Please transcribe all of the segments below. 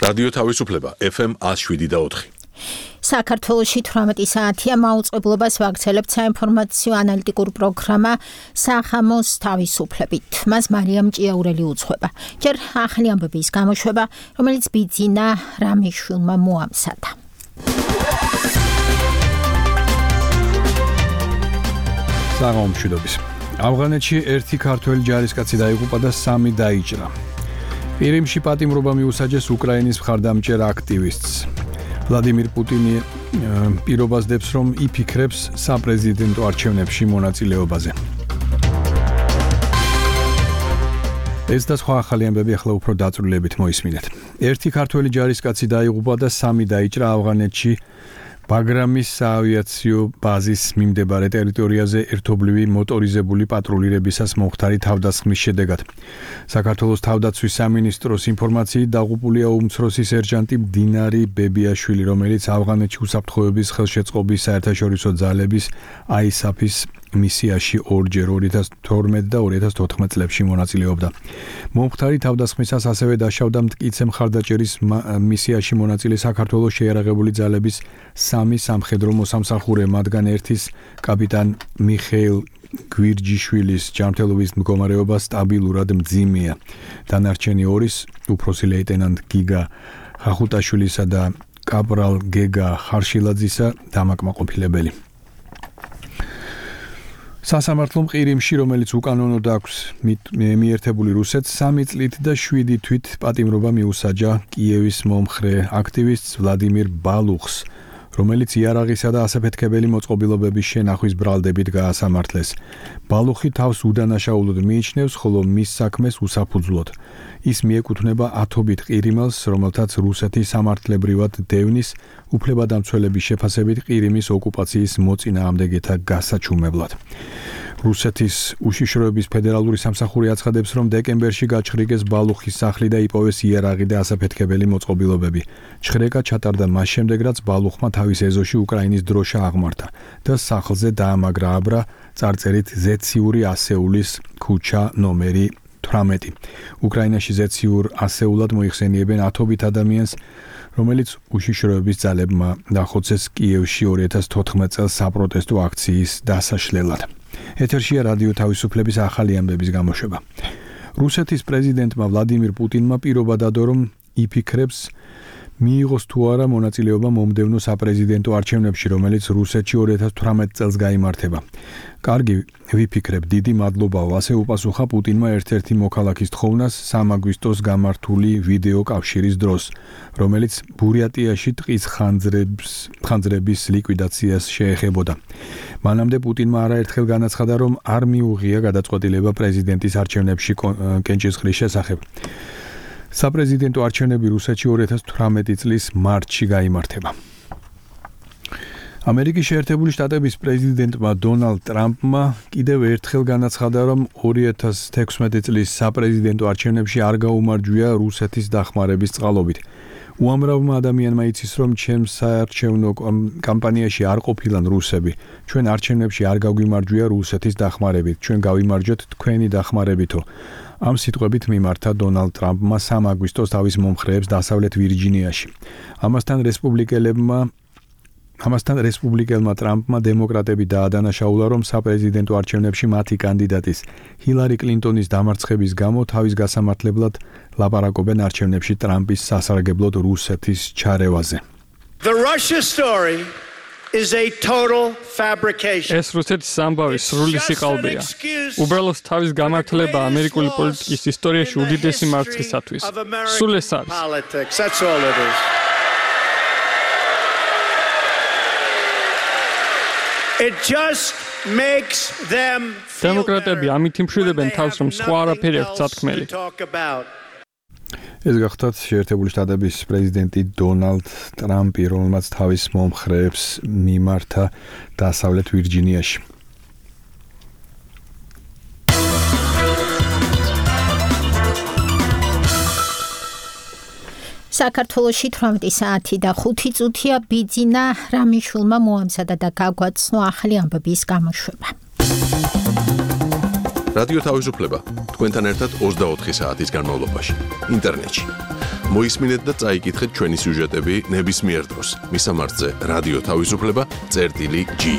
რადიო თავისუფლება FM 107.4. საქართველოში 18 საათია მაუწყებლობას ვაგრძელებთ საინფორმაციო ანალიტიკურ პროგრამა სახამოს თავისუფლებით. მას მარიამ ჭიაურელი უძღვება. ჯერ ახალი ამბების გამოშვება, რომელიც ბიძინა რამიშვილმა მოამზადა. საღამომშვიდობის. ავღანეთში ერთი ქართველი ჯარისკაცი დაიღუპა და 3 დაიჭრა. ყირიმში პატიმრობა მიუსაჯეს უკრაინის მხარდამჭერ აქტივისტს. ვლადიმირ პუტინი პირობას დებს, რომ იფიქრებს საპრეზიდენტო არჩევნებში მონაწილეობაზე. ეს და სხვა ახალი ამბები ახლა უფრო დაწვრილებით მოისმინეთ. ერთი ქართველი ჯარისკაცი დაიღუპა და 3 დაიჭრა ავღანეთში ბაგრამის საავიაციო ბაზის მიმდებარე ტერიტორიაზე ერთობლივი მოტორიზებული პატრულირებისას მომხდარი თავდასხმის შედეგად. საქართველოს თავდაცვის სამინისტროს ინფორმაციით დაღუპულია უმცროსი სერჟანტი დინარი ბებიაშვილი, რომელიც ავღანეთში უსაფრთხოების ხელშეწყობის საერთაშორისო ძალების ISAF-ის მისიაში ორჯერ 2012 და 2014 წლებში მონაწილეობდა. მომხდარი თავდასხმისას ასევე დაშავდა მტკიცე მხარდაჭერის მისიაში მონაწილე საქართველოს შეიარაღებული ძალების 3 სამხედრო მოსამსახურე, მათგან ერთის კაპიტან მიხეილ გვირჯიშვილის ჯანმრთელობის მდგომარეობა სტაბილურად მძიმეა. დანარჩენი 2-ის უფროსი ლეიტენანტ გიგა ხახუტაშვილისა და კაპრალ გეგა ხარშილაძისა დამაკმაყოფილებელი. სასამართლომ ყირიმში, რომელიც უკანონოდ აქვს მიერთებული რუსეთს, 3 წლით და 7 თვით პატიმრობა მიუსაჯა კიევის მომხრე აქტივისტს ვლადიმირ ბალუხს, რომელიც იარაღისა და ასაფეთქებელი მოწყობილობების შენახვის ბრალდებით გაასამართლეს. ბალუხი თავს უდანაშაულოდ მიიჩნევს, ხოლო მის საქმეს უსაფუძვლოდ. ის მიეკუთვნება ათობით ყირიმელს, რომელთაც რუსეთი სამართლებრივად დევნის უფლებადამცველების შეფასებით ყირიმის ოკუპაციის მოწინააღმდეგეთა გასაჩუმებლად. რუსეთის უშიშროების ფედერალური სამსახური აცხადებს, რომ დეკემბერში გაჩხრიგეს ბალუხის სახლი და იპოვეს იარაღი და ასაფეთქებელი მოწყობილობები. ჩხრეკა ჩატარდა მას შემდეგ, რაც ბალუხმა თავის ეზოში უკრაინის დროშა აღმართა და სახლზე დაამაგრა აბრა წარწერით ზეციური ასეულის ქუჩა ნომერი 18. უკრაინაში ზეციურ ასეულად მოიხსენიებენ ათობით ადამიანს, რომელიც უშიშროების ძალებმა დახოცეს კიევში 2014 წელს საპროტესტო აქციის დასაშლელად. ეთერშია რადიო თავისუფლების ახალი ამბების გამოშვება. რუსეთის პრეზიდენტმა ვლადიმირ პუტინმა პირობა დადო, რომ იფიქრებს მიიღოს თუ არა მონაწილეობა მომდევნო საპრეზიდენტო არჩევნებში, რომელიც რუსეთში 2018 წელს გაიმართება. კარგი, ვიფიქრებ, დიდი მადლობაო, ასე უპასუხა პუტინმა ერთ-ერთი მოქალაქის თხოვნას 3 აგვისტოს გამართული ვიდეო კავშირის დროს, რომელიც ბურიატიაში ტყის ხანძრების ლიკვიდაციას შეეხებოდა. მანამდე პუტინმა არაერთხელ განაცხადა, რომ არ მიუღია გადაწყვეტილება პრეზიდენტის არჩევნებში კენჭისყრის შესახებ. საპრეზიდენტო არჩევნები რუსეთში 2018 წლის მარტში გაიმართება. ამერიკის შეერთებული შტატების პრეზიდენტმა დონალდ ტრამპმა კიდევ ერთხელ განაცხადა, რომ 2016 წლის საპრეზიდენტო არჩევნებში არ გაუმარჯვია რუსეთის დახმარების წყალობით. უამრავმა ადამიანმა იცის, რომ ჩემს საარჩევნო კამპანიაში არ ყოფილან რუსები. ჩვენ არჩევნებში არ გაგვიმარჯვია რუსეთის დახმარებით, ჩვენ გავიმარჯვეთ თქვენი დახმარებითო. ამ სიტყვებით მიმართა დონალდ ტრამპმა 3 აგვისტოს თავის მომხრეებს დასავლეთ ვირჯინიაში. ამასთან რესპუბლიკელმა ტრამპმა დემოკრატები დაადანაშაულა, რომ საპრეზიდენტო არჩევნებში მათი კანდიდატის ჰილარი კლინტონის დამარცხების გამო თავის გასამართლებლად ლაპარაკობენ არჩევნებში ტრამპის სასარგებლოდ რუსეთის ჩარევაზე. The Russia story is a total fabrication. ეს რუსეთის ამბავი სრული სიყალბეა. უბრალოდ თავის გამართლება ამერიკული პოლიტიკის ისტორიაში უდიდესი მარცხისათვის. სულ ეს არის. That's all it is. It just makes them დემოკრატები ამით იმშვიდებენ თავს, რომ სხვა არაფერი აქვს სათქმელი. ეს გახლავთ შეერთებული შტატების პრეზიდენტი დონალდ ტრამპი, რომელმაც თავის მომხრეებს მიმართა დასავლეთ ვირჯინიაში. საქართველოში 18 საათი და 5 წუთია ბიძინა რამიშვილმა მოამზადა და გაგვაცნო ახალი ამბების გამოშვება. რადიო თავისუფლება თქვენთან ერთად 24 საათის განმავლობაში ინტერნეტში. მოისმინეთ და წაიკითხეთ ჩვენი სიუჟეტები ნებისმიერ დროს. მისამართზე რადიო თავისუფლება.ge.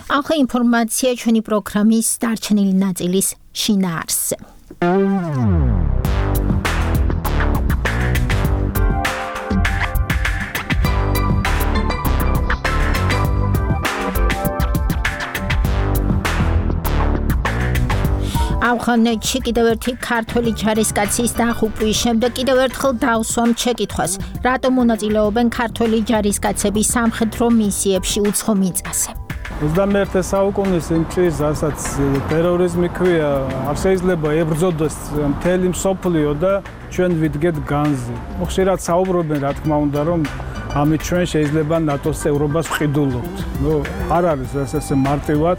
ახლა ინფორმაცია ჩვენი პროგრამის დარჩენილი ნაწილის შინაარსზე. ავღანეთში კიდევ ერთი ქართველი ჯარისკაცის დაღუპვის შემდეგ კიდევ ერთხელ დავსვამ შეკითხვას, რატომ მონაწილეობენ ქართველი ჯარისკაცები სამხედრო მისიებში უცხო მიწაზე. 21 საუკუნის იმ წელს, რასაც ტერორიზმი ქვია, არ შეიძლება ებრძოდოს მთელი მსოფლიო და ჩვენ ვიდგეთ განზე. ხშირად საუბრობენ, რა თქმა უნდა, რომ ამით ჩვენ შეიძლება ნატოს წევრობას ვყიდულობთ. არ არის ესე მარტივად.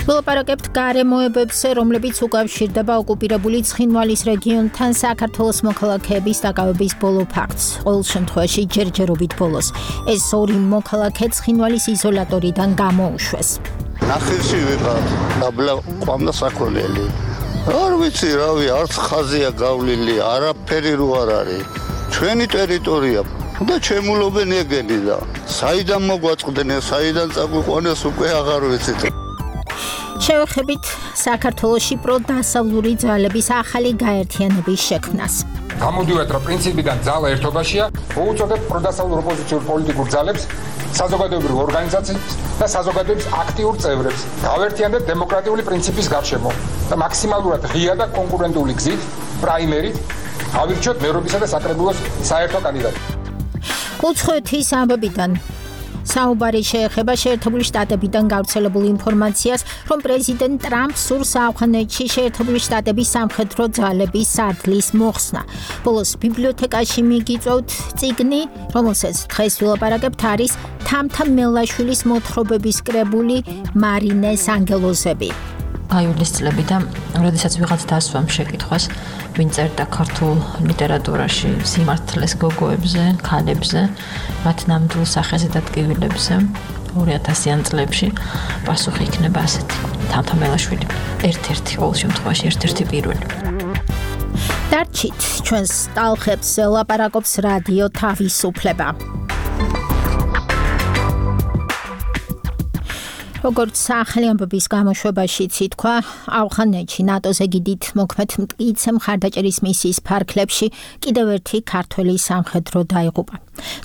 ვილაპარაკებთ გარემოებებზე, რომლებიც უკავშირდება ოკუპირებული ცხინვალის რეგიონთან საქართველოს მოქალაქეების დაკავების ბოლო ფაქტს. ყოველ შემთხვევაში ჯერჯერობით ბოლოს. ეს ორი მოქალაქე ცხინვალის იზოლატორიდან გამოუშვეს. ნახევში ვიყავ, დაბლა ყვამდა საქონელი. არ ვიცი, რავი, არც ხაზია გავლილი, არაფერი რო არ არის. ჩვენი ტერიტორია და ჩემულობენ ეგენი და საიდან მოგვაწყდნენ, საიდან წაგვიყვანეს უკვე აღარ ვიცით. შევეხებით საქართველოში პროდასავლური ძალების ახალი გაერთიანების შექმნას. გამოდივართ, რომ პრინციპიდან ძალა ერთობაშია, მოუწოდებთ პროდასავლურ ოპოზიციურ პოლიტიკურ ძალებს, საზოგადოებრივ ორგანიზაციებს და საზოგადოების აქტიურ წევრებს. გავერთიანდეთ დემოკრატიული პრინციპის გარშემო და მაქსიმალურად ღია და კონკურენტული გზით, პრაიმერით, ავირჩიოთ მერობისა და საკრებულოს საერთო კანდიდატი. უცხოეთის ამბებიდან საუბარი შეეხება შეერთებული შტატებიდან გავრცელებულ ინფორმაციას, რომ პრეზიდენტ ტრამპ სურს ავღანეთში შეერთებული შტატების სამხედრო ძალების სარდლის მოხსნა. ბოლოს ბიბლიოთეკაში მიგიწვევთ წიგნი, რომელსაც დღეს ვილაპარაკებთ, არის თამთა მელაშვილის მოთხრობების კრებული მარინეს ანგელოზები. აიულის წლებიდან, როდესაც ვიღაც დასვამ შეკითხვას, ვინ წერდა ქართულ ლიტერატურაში სიმართლეს გოგოებზე, ქალებზე, მათ ნამდვილ სახეზე და ტკივილებზე 2000-იან წლებში პასუხი იქნება ასეთი. თამთა მელაშვილი ერთ-ერთი ყოველ შემთხვევაში ერთ-ერთი პირველი. დარჩით ჩვენს ტალღებს ლაპარაკობს რადიო თავისუფლება. როგორც ახალი ამბების გამოშვებაშიც ითქვა, ავღანეთში ნატოს ეგიდით მოქმედ მტკიცე მხარდაჭერის მისიის ფარგლებში კიდევ ერთი ქართველი სამხედრო დაიღუპა.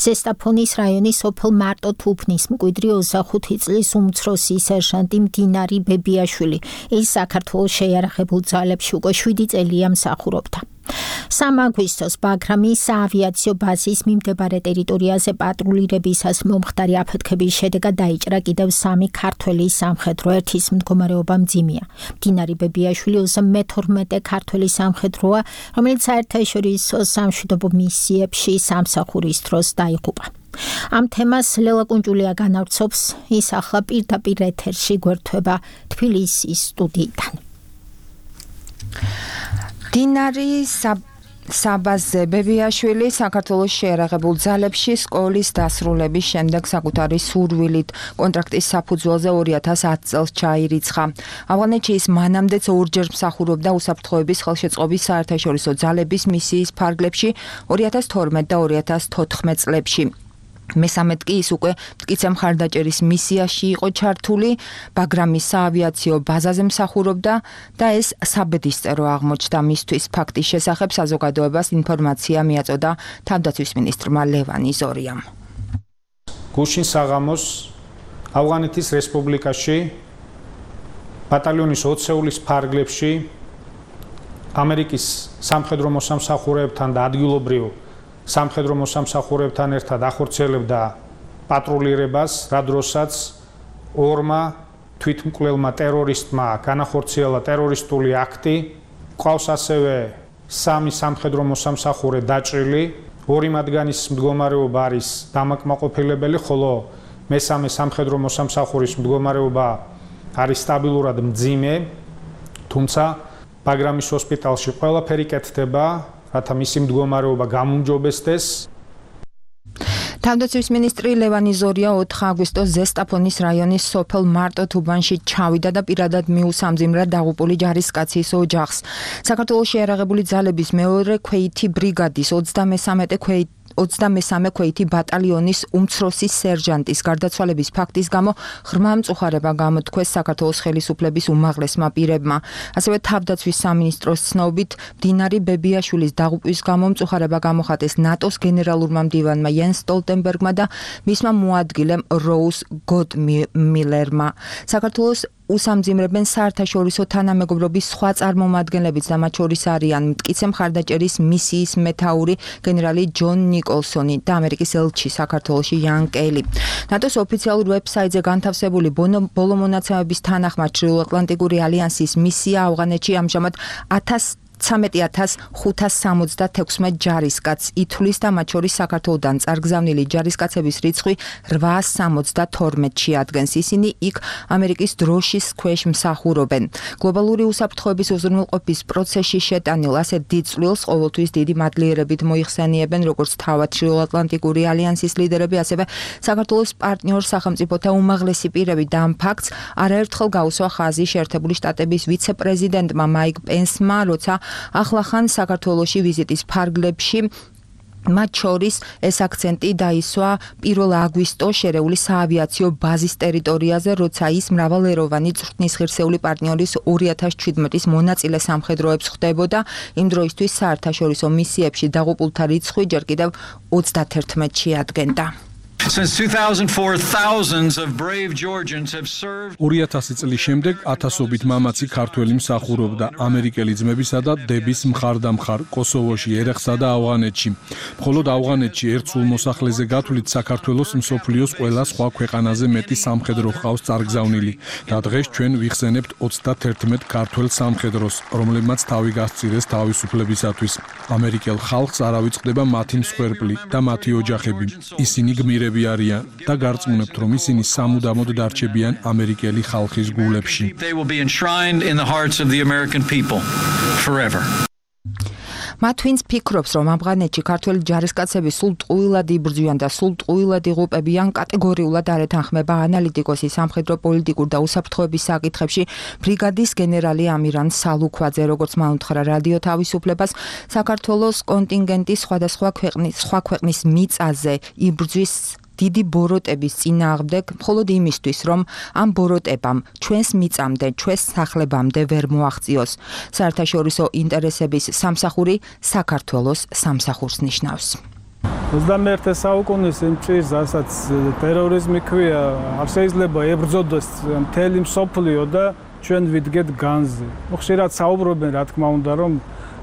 ზესტაფონის რაიონის სოფელ მარტო-თუფნის მკვიდრი 25 წლის უმცროსი სერჟანტი მდინარი ბებიაშვილი ის საქართველოს შეიარაღებულ ძალებში უკვე 7 წელია მსახურობდა. 3 აგვისტოს ბაგრამის საავიაციო ბაზის მიმდებარე ტერიტორიაზე პატრულირებისას მომხდარი აფეთქების შედეგად დაიჭრა კიდევ 3 ქართველი სამხედრო, ერთის მდგომარეობა მძიმეა. მდინარი ბებიაშვილი 12 ქართველი სამხედროა, რომელიც საერთაშორისო სამშვიდობო მისიებში სამსახურის დროს დაიღუპა. ამ თემას ლელა კუნჭულია განავრცობს, ის ახლა პირდაპირ ეთერში გვერდება თბილისის სტუდიიდან. დინარი საბაზზე ბებიაშვილი საქართველოს შეიარაღებულ ძალებში სკოლის დასრულების შემდეგ საკუთარი სურვილით კონტრაქტის საფუძველზე 2010 წელს ჩაირიცხა. ავღანეთში ის მანამდეც ორჯერ მსახურობდა უსაფრთხოების ხელშეწყობის საერთაშორისო ძალების მისიის ფარგლებში 2012 და 2014 წლებში. მესამედ კი ის უკვე მტკიცე მხარდაჭერის მისიაში იყო ჩართული, ბაგრამის საავიაციო ბაზაზე მსახურობდა და ეს საბედისწერო აღმოჩნდა მისთვის. ფაქტის შესახებ საზოგადოებას ინფორმაცია მიაწოდა თავდაცვის მინისტრმა ლევანი ზორიამ. გუშინ საღამოს ავღანეთის რესპუბლიკაში ბატალიონის 20-ეულის ფარგლებში ამერიკის სამხედრო მოსამსახურეებთან და ადგილობრივ სამხედრო მოსამსახურეებთან ერთად ახორციელებდა პატრულირებას, რა დროსაც ორმა თვითმკვლელმა ტერორისტმა განახორციელა ტერორისტული აქტი. ყავს ასევე 3 სამხედრო მოსამსახურე დაჭრილი, 2 მათგანის მდგომარეობა არის დამაკმაყოფილებელი, ხოლო მესამე სამხედრო მოსამსახურის მდგომარეობა არის სტაბილურად მძიმე, თუმცა ბაგრამის ჰოსპიტალში ყველაფერი კეთდება, რათა მისი მდგომარეობა გამუმჯობესდეს. თავდაცვის მინისტრი ლევანი ზორია 4 აგვისტოს ზესტაფონის რაიონის სოფელ მარტო-თუბანში ჩავიდა და პირადად მიუსამძიმრა დაღუპული ჯარისკაცის ოჯახს. საქართველოს შეიარაღებული ძალების მეორე ქვეითი ბრიგადის 23 ქვეითი ბატალიონის უმცროსი სერჟანტის გარდაცვალების ფაქტის გამო ღრმა მწუხარება გამოთქვეს საქართველოს ხელისუფლების უმაღლესმა პირებმა. ასევე თავდაცვის სამინისტროს ცნობით მდინარი ბებიაშვილის დაღუპვის გამო მწუხარება გამოხატეს ნატოს გენერალურმა მდივანმა იენს სტოლტენბერგმა და მისმა მოადგილემ როუზ გოტმილერმა. საქართველოს უსამძიმრებენ საერთაშორისო თანამეგობრობის სხვა წარმომადგენლებიც და მათ შორის არიან მტკიცე მხარდაჭერის მისიის მეთაური გენერალი ჯონ ნიკოლსონი და ამერიკის ელჩი საქართველოში იან კელი. ნატოს ოფიციალურ ვებსაიტზე განთავსებული ბოლო მონაცემების თანახმად ჩრდილოატლანტიკური ალიანსის მისია ავღანეთში ამჟამად 13,576 ჯარისკაცს ითვლის და მათ შორის საქართველოდან წარგზავნილი ჯარისკაცების რიცხვი 872-ში ადგენს. ისინი იქ ამერიკის დროშის ქვეშ მსახურობენ. გლობალური უსაფრთხოების უზრუნველყოფის პროცესში შეტანილ ასეთ დიდ წვლილს ყოველთვის დიდი მადლიერებით მოიხსენიებენ როგორც თავად ჩრდილოატლანტიკური ალიანსის ლიდერები, ასევე საქართველოს პარტნიორ სახელმწიფოთა უმაღლესი პირები და ამ ფაქტს არაერთხელ გაუსვა ხაზი შეერთებული შტატების ვიცე-პრეზიდენტმა მაიკ პენსმა, როცა ახლახან საქართველოში ვიზიტის ფარგლებში მათ შორის ეს აქცენტი დაისვა 1 აგვისტოს შერეული საავიაციო ბაზის ტერიტორიაზე, როცა ის მრავალეროვანი წვრთნის ღირსეული პარტნიორის 2017-ის მონაწილე სამხედროებს ხვდებოდა. იმ დროისთვის საერთაშორისო მისიებში დაღუპულთა რიცხვი ჯერ კიდევ 31-ში ადგენდა. Since 2004, thousands of brave Georgians have served. 2000 წლის შემდეგ ათასობით მამაცი ქართველი მსახურობდა ამერიკელი ძმებისა და დების მხარდამხარ კოსოვოში, ერეხსა და ავღანეთში. მხოლოდ ავღანეთში ერთ სულ მოსახლეზე გათვლით საქართველოს მსოფლიოს ყველა სხვა ქვეყანაზე მეტი სამხედრო ჰყავს წარგზავნილი და დღეს ჩვენ ვიხსენებთ 31 ქართველ სამხედროს, რომლებმაც თავი გასწირეს თავისუფლებისათვის. ამერიკელ ხალხს არ ავიწყდება მათი მსხვერპლი და მათი ოჯახები. ისინი გმირები არიან და გარწმუნებთ, რომ ისინი სამუდამოდ დარჩებიან ამერიკელი ხალხის გულებში. They will be enshrined in the hearts of the American people forever. მათ ვინც ფიქრობს, რომ ავღანეთში ქართველი ჯარისკაცები სულ ტყუილად იბრძვიან და სულ ტყუილად იღუპებიან, კატეგორიულად არ ეთანხმება ანალიტიკოსი სამხედრო პოლიტიკურ და უსაფრთხოების საკითხებში ბრიგადის გენერალი ამირან სალუქვაძე. როგორც მან უთხრა რადიო თავისუფლებას, საქართველოს კონტინგენტი სხვა ქვეყნის მიწაზე იბრძვის დიდი ბოროტების წინააღმდეგ, მხოლოდ იმისთვის, რომ ამ ბოროტებამ ჩვენს მიწამდე, ჩვენს სახლებამდე ვერ მოაღწიოს. საერთაშორისო ინტერესების სამსახური საქართველოს სამსახურს ნიშნავს. 21 საუკუნის იმ ჭირს, რასაც ტერორიზმი ქვია, არ შეიძლება ებრძოდოს მთელი მსოფლიო და ჩვენ ვიდგეთ განზე. ხშირად საუბრობენ, რა თქმა უნდა, რომ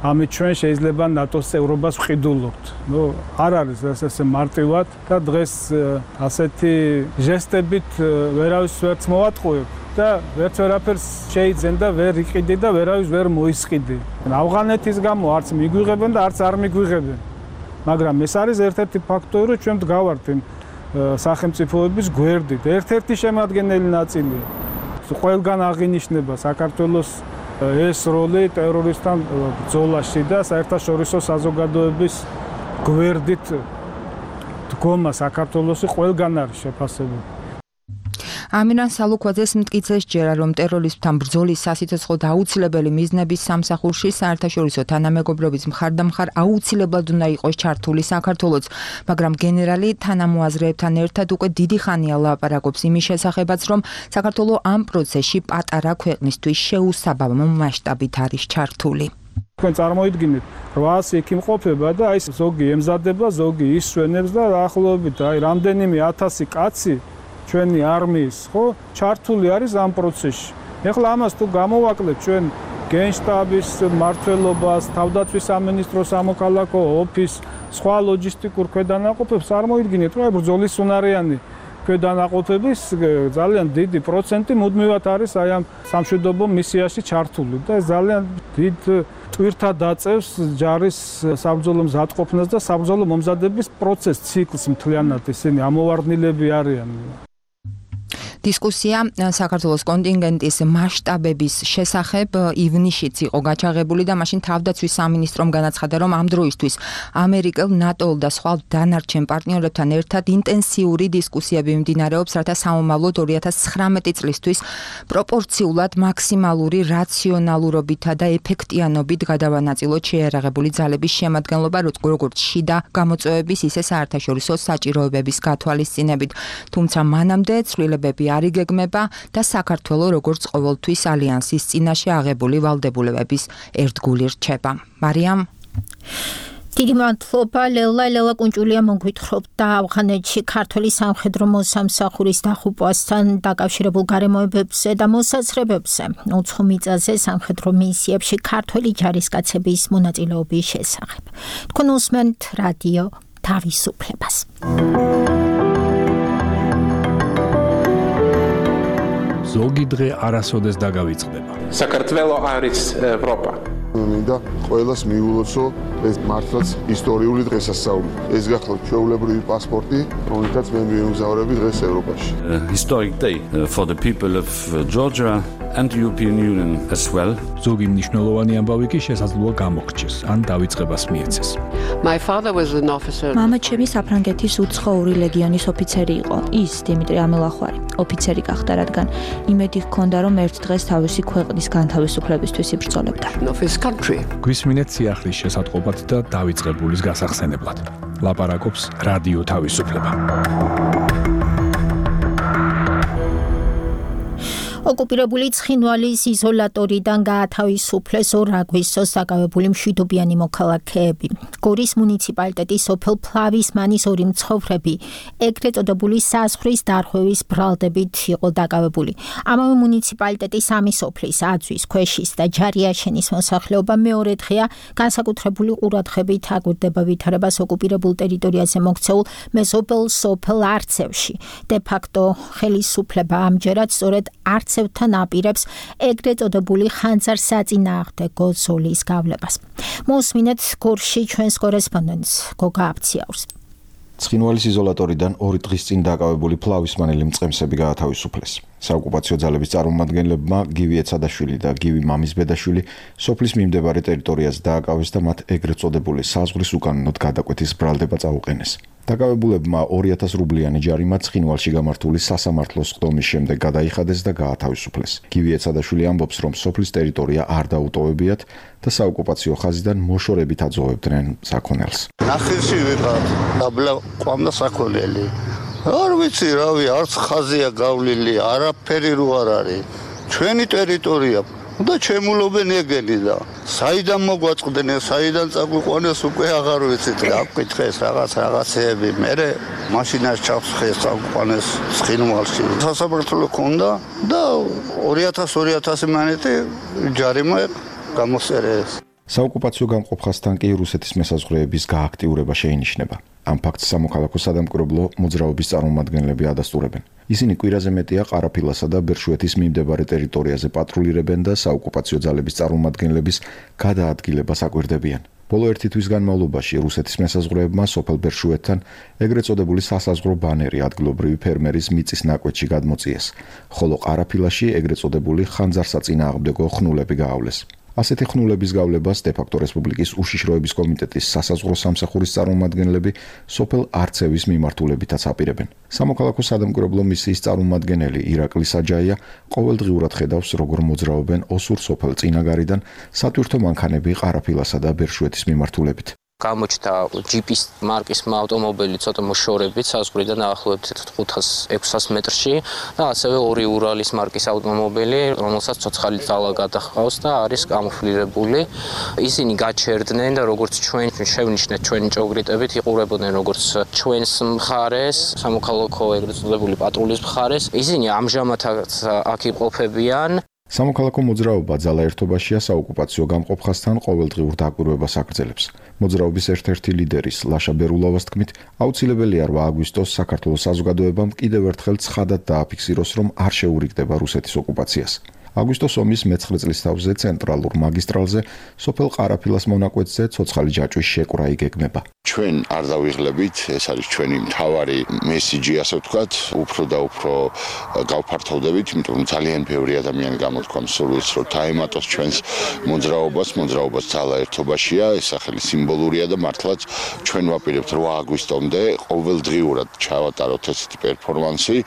ამით ჩვენ შეიძლება ნატოს წევრობას ვყიდულობთ. არ არის ესე მარტივად და დღეს ასეთი ჟესტებით ვერავის ვერც მოვატყუებ და ვერც ვერაფერს შეიძენ და ვერ იყიდი და ვერავის ვერ მოისყიდი. ავღანეთის გამო არც მიგვიღებენ და არც არ მიგვიღებენ. მაგრამ ეს არის ერთ-ერთი ფაქტორი, რომ ჩვენ ვდგავართ იმ სახელმწიფოების გვერდით. ერთ-ერთი შემადგენელი ნაწილი ყველგან აღინიშნება საქართველოს ეს როლი ტერორისტთან ბრძოლაში და საერთაშორისო საზოგადოების გვერდით დგომა საქართველოში ყველგან არის შეფასებული. ამირან სალუქვაძეს მტკიცეს ჯერა, რომ ტერორიზმთან ბრძოლის სასიცოცხლო და აუცილებელი მიზნების სამსახურში საერთაშორისო თანამეგობრობის მხარდამხარ აუცილებლად უნდა იყოს ჩართული საქართველოც, მაგრამ გენერალი თანამოაზრეებთან ერთად უკვე დიდი ხანია ლაპარაკობს იმის შესახებაც, რომ საქართველო ამ პროცესში პატარა ქვეყნისთვის შეუსაბამო მასშტაბით არის ჩართული. თქვენ წარმოიდგინეთ 800 იქიმყოფება და აი ზოგი ემზადება, ზოგი ისვენებს და ახლობით აი რამდენიმე 1000 კაცი ჩვენი არმიის, ხო, ჩართული არის ამ პროცესში. ეხლა ამას თუ გამოვაკლებთ ჩვენ გენშტაბის მმართველობას, თავდაცვის სამინისტროს სამოქალაქო ოფისს, სხვა ლოჯისტიკურ ქვედანაყოფებს, წარმოიდგინეთ, რომ ბრძოლის უნარიანი ქვედანაყოფების ძალიან დიდი პროცენტი მუდმივად არის აი ამ სამშვიდობო მისიაში ჩართული და ეს ძალიან დიდ ტვირთად აწევს ჯარის საბრძოლო მზადყოფნას და საბრძოლო მომზადების პროცესს ციკლს მთლიანად. ისინი ამოვარდნილები არიან. დისკუსია საქართველოს კონტინგენტის მასშტაბების შესახებ ივნისშიც იყო გაჩაღებული და მაშინ თავდაცვის სამინისტრომ განაცხადა, რომ ამ დროისთვის ამერიკელ, ნატო-ულ და სხვა დანარჩენ პარტნიორებთან ერთად ინტენსიური დისკუსიები მიმდინარეობს, რათა სამომავლოდ 2019 წლისთვის პროპორციულად მაქსიმალური რაციონალურობითა და ეფექტიანობით გადავანაწილოთ შეიარაღებული ძალების შემადგენლობა, როგორც შიდა გამოწვევების, ისე საერთაშორისო საჭიროებების გათვალისწინებით. თუმცა მანამდე ცვლილებები არ იგეგმება და საქართველოს როგორც ყოველთვის ალიანსის წინაშე აღებული ვალდებულებების ერთგული რჩება. მარიამ დიდი მადლობა ლელა კუნჭულია მოგვითხრობდა ავღანეთში ქართული სამხედრო მოსამსახურის დახუპვასთან დაკავშირებულ გარემოებებზე და მოსაზრებებზე უცხო მიწაზე სამხედრო მისიებში ქართული ჯარისკაცების მონაწილეობის შესახებ. თქვენ უსმენთ რადიო თავისუფლებას. ზოგი დღე არასოდეს დაგავიწყდება. საქართველო არის ევროპა. მინდა ყველას მიულოცო ეს მართლაც ისტორიული დღესასწაული. ეს გახლავთ ჩვეულებრივი პასპორტი, რომელთაც მე მივიმგზავრები დღეს ევროპაში. Historic day for the people of Georgia and the European Union as well. ზოგი მნიშვნელოვანი ამბავი კი შესაძლოა გამოგრჩეს, ან დავიწყებას მიეცეს. My father was an officer. მამაჩემი საფრანგეთის უცხოური ლეგიონის ოფიცერი იყო. ის დიმიტრი ამელახვარი ოფიცერი გახდა, რადგან იმედი ჰქონდა, რომ ერთ დღეს თავისი ქვეყნის განთავისუფლებისთვის იბრძოლებდა. გვისმინეთ სიახლის შესატყობად და დავიწყებულის გასახსენებლად. ლაპარაკობს რადიო თავისუფლება. ოკუპირებული ცხინვალის იზოლატორიდან გაათავისუფლეს 2 აგვისტოს დაკავებული მშვიდობიანი მოქალაქეები. გორის მუნიციპალიტეტის სოფელ ფლავისმანის 2 მცხოვრები ეგრეთ წოდებული საზღვრის დარღვევის ბრალდებით იყო დაკავებული. ამავე მუნიციპალიტეტის 3 სოფლის აწვის, ქვეშის და ჯარიაშენის მოსახლეობა მეორე დღეა განსაკუთრებული ყურადღებით აკვირდება ვითარებას ოკუპირებულ ტერიტორიაზე მოქცეულ მეზობელ სოფელ არცევში. de facto ხელისუფლება ამჯერად სწორედ არცევთან აპირებს ეგრეთ წოდებული ხანძარსაწინააღმდეგო ზოლის გავლებას. მოსმინეთ გორში ჩვენს კორესპონდენტს გოგა აფციაურს. ცხინვალის იზოლატორიდან 2 დღის წინ დაკავებული ფლავისმანელი მწყემსები გაათავისუფლეს. საოკუპაციო ძალების წარმომადგენლებმა გივი ეცადაშვილი და გივი მამისბედაშვილი სოფლის მიმდებარე ტერიტორიაზე დააკავეს და მათ ეგრეთ წოდებული საზღვრის უკანონოდ გადაკვეთის ბრალდება წაუყენეს. დაკავებულებმა 2000 რუბლიანი ჯარიმა ცხინვალში გამართული სასამართლოს ხდომის შემდეგ გადაიხადეს და გაათავისუფლეს. გივი ეცადაშვილი ამბობს, რომ სოფლის ტერიტორია არ დაუტოვებიათ და საოკუპაციო ხაზიდან მოშორებით აძოვებდნენ საქონელს. ნახევში ვიყავ, დაბლა ყვამდა საქონელი. არ ვიცი რავი, არც ხაზია გავლილი, არაფერი რო არ არის. ჩვენი ტერიტორია და ჩემულობენ ეგენი და საიდან მოგვაწყდნენ, საიდან წაგვიყვანეს უკვე აღარ ვიცით რა გკითხეს რაღაცეები. მე მაშინას ჩავსხეს წაგვიყვანეს ცხინვალში. სასამართლო ქონდა და 2000 მანეთი ჯარიმა გამოსერეს. საოკუპაციო გამყოფხასთან კი რუსეთის მესაზღვრეების გააქტიურება შეინიშნება. ამ ფაქტს სამოქალაქო სადამკვირვებლო მოძრაობის წარმომადგენლები ადასტურებენ. ისინი კვირაზე მეტია ყარაფილასა და ბერშუეთის მიმდებარე ტერიტორიაზე პატრულირებენ და საოკუპაციო ძალების წარმომადგენლების გადაადგილებას აკვირდებიან. ბოლო 1 თვის განმავლობაში რუსეთის მესაზღვრეებმა სოფელ ბერშუეთთან ეგრეთ წოდებული სასაზღვრო ბანერი ადგილობრივი ფერმერის მიწის ნაკვეთში გადმოწიეს, ხოლო ყარაფილაში ეგრეთ წოდებული ხანძარსაწინააღმდეგო ხნულები გაავლეს. ასეთი ხნულების გავლებას de facto რესპუბლიკის უშიშროების კომიტეტის სასაზღვრო სამსახურის წარმომადგენლები სოფელ არცევის მიმართულებითაც აპირებენ. სამოქალაქო სადამკვირვებლო მისიის წარმომადგენელი ირაკლი საჯაია ყოველდღიურად ხედავს, როგორ მოძრაობენ ოსურ სოფელ წინაგარიდან სატვირთო მანქანები ყარაფილასა და ბერშუეთის მიმართულებით. გამოჩნდა ჯიპის მარკის ავტომობილი ცოტა მოშორებით საზღვრიდან დაახლოებით 500-600 მეტრში და ასევე 2 ურალის მარკის ავტომობილი, რომელსაც ცოცხალი ძალა გადაჰყავს და არის კამუფლირებული. ისინი გაჩერდნენ და როგორც ჩვენ შევნიშნეთ ჩვენი ჭოგრიტებით იყურებოდნენ როგორც ჩვენს მხარეს, სამოქალაქო ეგრეთ წოდებული პატრულის მხარეს. ისინი ამჟამადაც აქ იმყოფებიან. სამოქალაქო მოძრაობა ძალა ერთობაშია საოკუპაციო გამყოფხასთან ყოველდღიურ დაკვირვებას აგრძელებს. მოძრაობის ერთ-ერთი ლიდერის ლაშა ბერულავას თქმით, აუცილებელია 8 აგვისტოს საქართველოს საზოგადოებამ კიდევ ერთხელ ცხადად დააფიქსიროს, რომ არ შეურიგდება რუსეთის ოკუპაციას. აგვისტოს ომის მე-9 წლის თავზე ცენტრალურ მაგისტრალზე სოფელ ყარაფილას მონაკვეთზე ცოცხალი ჯაჭვის შეკვრა იგეგმება. ჩვენ არ დავიღლებით, ეს არის ჩვენი მთავარი მესიჯი, ასე ვთქვათ, უფრო და უფრო გავფართოვდებით, იმიტომ რომ ძალიან ბევრი ადამიანი გამოთქვამს სურვილს, რომ დაემატოს ჩვენს მოძრაობას ძალა ერთობაშია, ეს სახელი სიმბოლურია და მართლაც ჩვენ ვაპირებთ 8 აგვისტომდე ყოველდღიურად ჩავატაროთ ესეთი პერფორმანსი.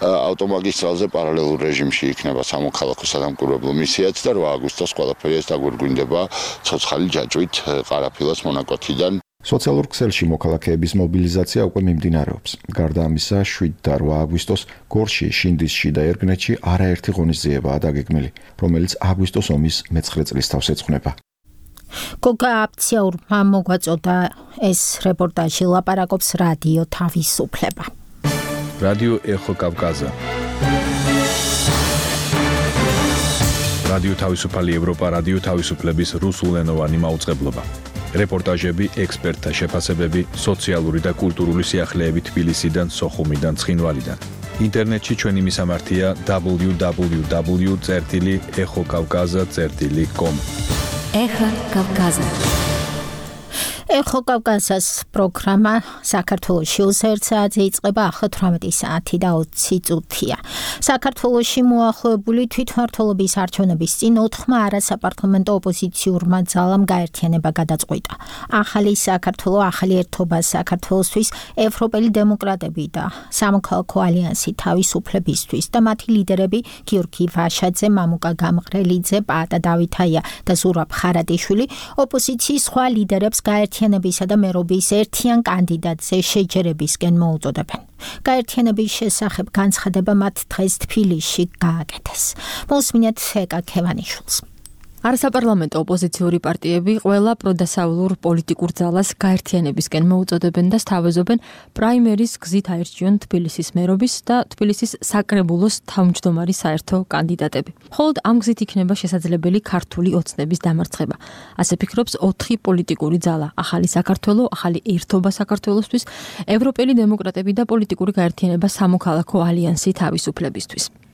ავტომაგისტრალზე პარალელურ რეჟიმში იქნება სამოქალაქო სადამკვირვებლო მისიაც და 8 აგვისტოს ყველაფერი ეს დაგვირგვინდება ცოცხალი ჯაჭვით ყარაფილას მონაკვეთიდან. სოციალურ ქსელში მოქალაქეების მობილიზაცია უკვე მიმდინარეობს. გარდა ამისა, 7 და 8 აგვისტოს გორში, შინდისში და ერგნეთში არაერთი ღონისძიებაა დაგეგმილი, რომელიც აგვისტოს ომის მე-9 წლის თავს ეძღვნება. გოგა აფციაურმა მოგვაწოდა ეს რეპორტაჟი ლაპარაკობს რადიო თავისუფლება. რადიო ეხო კავკაზა. რადიო თავისუფალი ევროპა, რადიო თავისუფლების რუსულენოვანი მაუწყებლობა. რეპორტაჟები, ექსპერტთა შეფასებები, სოციალური და კულტურული სიახლეები თბილისიდან, სოხუმიდან, ცხინვალიდან. ინტერნეტში ჩვენი მისამართია www.ეხოკავკაზა.com. ეხო კავკაზა. ეხო კავკაზას პროგრამა საქართველოში 21 საათზე იწყება, ახლა 18 საათი და 20 წუთია. საქართველოში მოახლოებული თვითმმართველობის არჩევნების წინ 4 არასაპარლამენტო ოპოზიციურმა ძალამ გაერთიანება გადაწყვიტა. ახალი საქართველო, ახალი ერთობა საქართველოსთვის, ევროპელი დემოკრატები და სამოქალაქო ალიანსი თავისუფლებისთვის და მათი ლიდერები გიორგი ვაშაძე, მამუკა გამყრელიძე, პაატა დავითაია და ზურაბ ხარატიშვილი ოპოზიციის სხვა ლიდერებს გაერთიანებისა და მერობის ერთიან კანდიდატზე შეჯერებისკენ მოუწოდებენ. გაერთიანების შესახებ განცხადება მათ დღეს თბილისში გააკეთეს. მოსმინეთ ეკა ქევანიშვილს. არასაპარლამენტო ოპოზიციური პარტიები ყველა პროდასავლურ პოლიტიკურ ძალას გაერთიანებისკენ მოუწოდებენ და სთავაზობენ პრაიმერის გზით აირჩიონ თბილისის მერობის და თბილისის საკრებულოს თავმჯდომარი საერთო კანდიდატები. მხოლოდ ამ გზით იქნება შესაძლებელი ქართული ოცნების დამარცხება. ასე ფიქრობს 4 პოლიტიკური ძალა: ახალი საქართველო, ახალი ერთობა საქართველოსთვის, ევროპელი დემოკრატები და პოლიტიკური გაერთიანება სამოქალაქო ალიანსი თავისუფლებისთვის.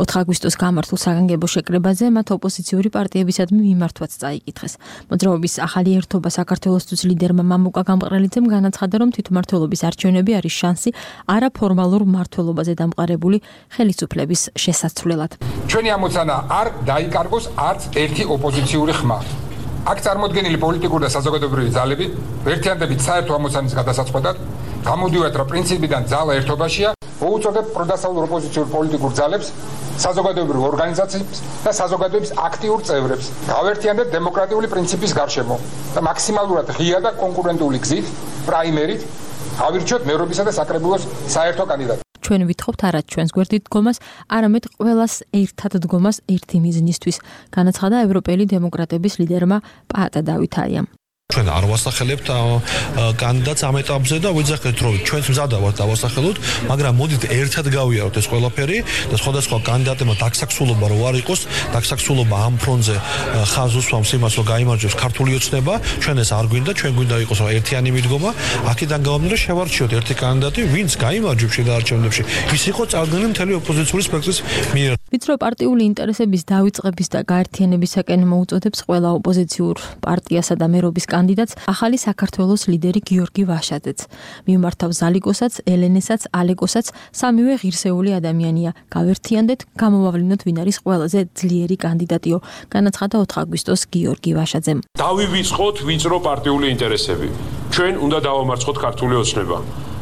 4 აგვისტოს გამართულ საგანგებო შეკრებაზე მათ ოპოზიციური პარტიებისადმი მიმართვაც წაიკითხეს. მოძრაობის ახალი ერთობა საქართველოსთვის ლიდერმა მამუკა გამყრელიძემ განაცხადა, რომ თვითმმართველობის არჩევნები არის შანსი არაფორმალურ მმართველობაზე დამყარებული ხელისუფლების შესაცვლელად. ჩვენი ამოცანა არ დაიკარგოს არც ერთი ოპოზიციური ხმა. აქ წარმოდგენილი პოლიტიკური და საზოგადოებრივი ძალები ერთიანდებით საერთო ამოცანის გადასაწყვეტად გამოდივართ, რომ პრინციპიდან ძალა ერთობაშია, მოუწოდებ პროდასავლურ ოპოზიციურ პოლიტიკურ ძალებს, საზოგადოებრივ ორგანიზაციებს და საზოგადოების აქტიურ წევრებს გავერთიანდეთ დემოკრატიული პრინციპის გარშემო და მაქსიმალურად ღია და კონკურენტული გზით, პრაიმერით, ავირჩიოთ მერობისა და საკრებულოს საერთო კანდიდატი. ჩვენ ვითხოვთ არა ჩვენს გვერდით დგომას, არამედ ყველას ერთად დგომას ერთი მიზნისთვის, განაცხადა ევროპელი დემოკრატების ლიდერმა პაატა დავითაიამ. ჩვენ არ ვასახელებთ კანდიდატს ამ ეტაპზე და ვიძახეთ, რომ ჩვენს მზადა ვართ დავასახელოთ, მაგრამ მოდით ერთად გავიაროთ ეს ყველაფერი და სხვადასხვა კანდიდატებმა დაქსაქსულობა რო არ იყოს, დაქსაქსულობა ამ ფრონტზე ხაზს უსვამს იმას, რომ გაიმარჯვებს ქართული ოცნება, ჩვენ ეს არ გვინდა, ჩვენ გვინდა იყოს ერთიანი მიდგომა, აქედან გამომდინარე შევარჩიოთ ერთი კანდიდატი, ვინც გაიმარჯვებს შედარჩენებში, ის იყო წარდგენილი მთელი ოპოზიციური სპექტრის მიერ. ვიწრო პარტიული ინტერესების დავიწყების და გაერთიანებისაკენ მოუწოდებს ყველა ოპოზიციურ პარტიასა და მერობის კანდიდატს ახალი საქართველოს ლიდერი გიორგი ვაშაძეც. მიმართავს ზალიკოსაც, ელენესაც, ალეკოსაც, სამივე ღირსეული ადამიანია. გავერთიანდეთ, გამოვავლინოთ ვინ არის ყველაზე ძლიერი კანდიდატიო, განაცხადა 4 აგვისტოს გიორგი ვაშაძემ. დავივიწყოთ ვიწრო პარტიული ინტერესები. ჩვენ უნდა დავამარცხოთ ქართული ოცნება.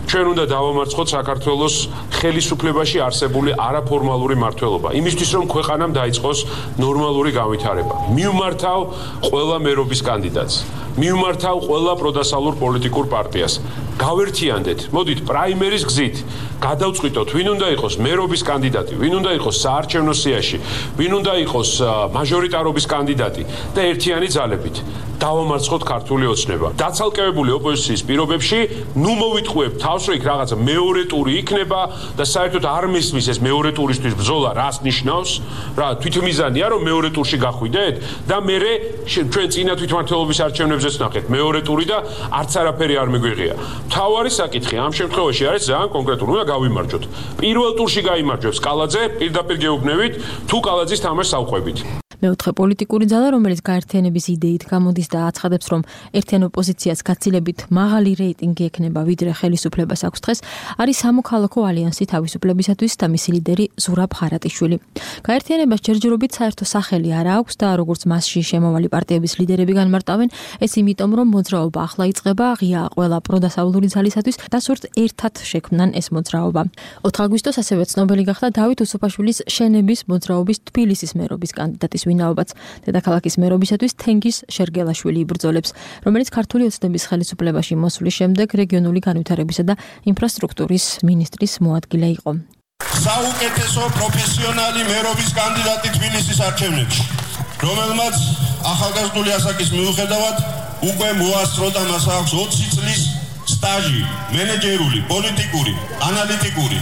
ჩვენ უნდა დავამარცხოთ საქართველოს ხელისუფლებაში არსებული არაფორმალური მმართველობა. იმისთვის რომ ქვეყანამ დაიწყოს ნორმალური განვითარება. მივმართავ ყველა მერობის კანდიდატს. მივმართავ ყველა პროდასავლურ პოლიტიკურ პარტიას. გავერთიანდეთ, მოდით პრაიმერის გზით გადავწყვიტოთ, ვინ უნდა იყოს მერობის კანდიდატი, ვინ უნდა იყოს საარჩევნო სიაში, ვინ უნდა იყოს მაჟორიტარობის კანდიდატი და ერთიანი ძალებით დავამარცხოთ ქართული ოცნება. დაცალკევებული ოპოზიციის პირობებში ნუ მოვიტყუებ თავს, რომ იქ რაღაცა მეორე ტური იქნება და საერთოდ არ მისმის ეს მეორე ტურისთვის ბრძოლა რას ნიშნავს, რა თვითმიზანია რომ მეორე ტურში გახვიდეთ და მერე ჩვენ წინა თვითმმართველობის არჩევნებზეც ნახეთ მეორე ტური და არც არაფერი არ მიგვიღია. მთავარი საკითხი ამ შემთხვევაში არის ძალიან კონკრეტული, უნდა გავიმარჯვოთ. პირველ ტურში გაიმარჯვებს კალაძე, პირდაპირ გეუბნებით, თუ კალაძის თამაშს ავყვებით. მეოთხე პოლიტიკური ძალა, რომელიც გაერთიანების იდეით გამოდის და აცხადებს, რომ ერთიან ოპოზიციას გაცილებით მაღალი რეიტინგი ექნება, ვიდრე ხელისუფლებას აქვს დღეს, არის სამოქალაქო ალიანსი თავისუფლებისათვის და მისი ლიდერი ზურაბ ხარატიშვილი. გაერთიანებას ჯერჯერობით საერთო სახელი არ აქვს და როგორც მასში შემავალი პარტიების ლიდერები განმარტავენ, ეს იმიტომ, რომ მოძრაობა ახლა იწყება, ღია ყველა პროდასავლური ძალისათვის და სურთ ერთად შექმნან ეს მოძრაობა. 4 აგვისტოს ასევე ცნობილი გახდა დავით უსუფაშვილის შენების მოძრაობის თბილისის მერობის კანდიდატის ვინაობაც. დედაქალაქის მერობისათვის თენგის შერგელაშვილი იბრძოლებს, რომელიც ქართული ოცნების ხელისუფლებაში მოსვლის შემდეგ რეგიონული განვითარებისა და ინფრასტრუქტურის მინისტრის მოადგილე იყო. საუკეთესო პროფესიონალი მერობის კანდიდატი თბილისის არჩევნებში, რომელმაც ახალგაზრდული ასაკის მიუხედავად უკვე მოასწრო და მას აქვს 20 წლის სტაჟი, მენეჯერული, პოლიტიკური, ანალიტიკური,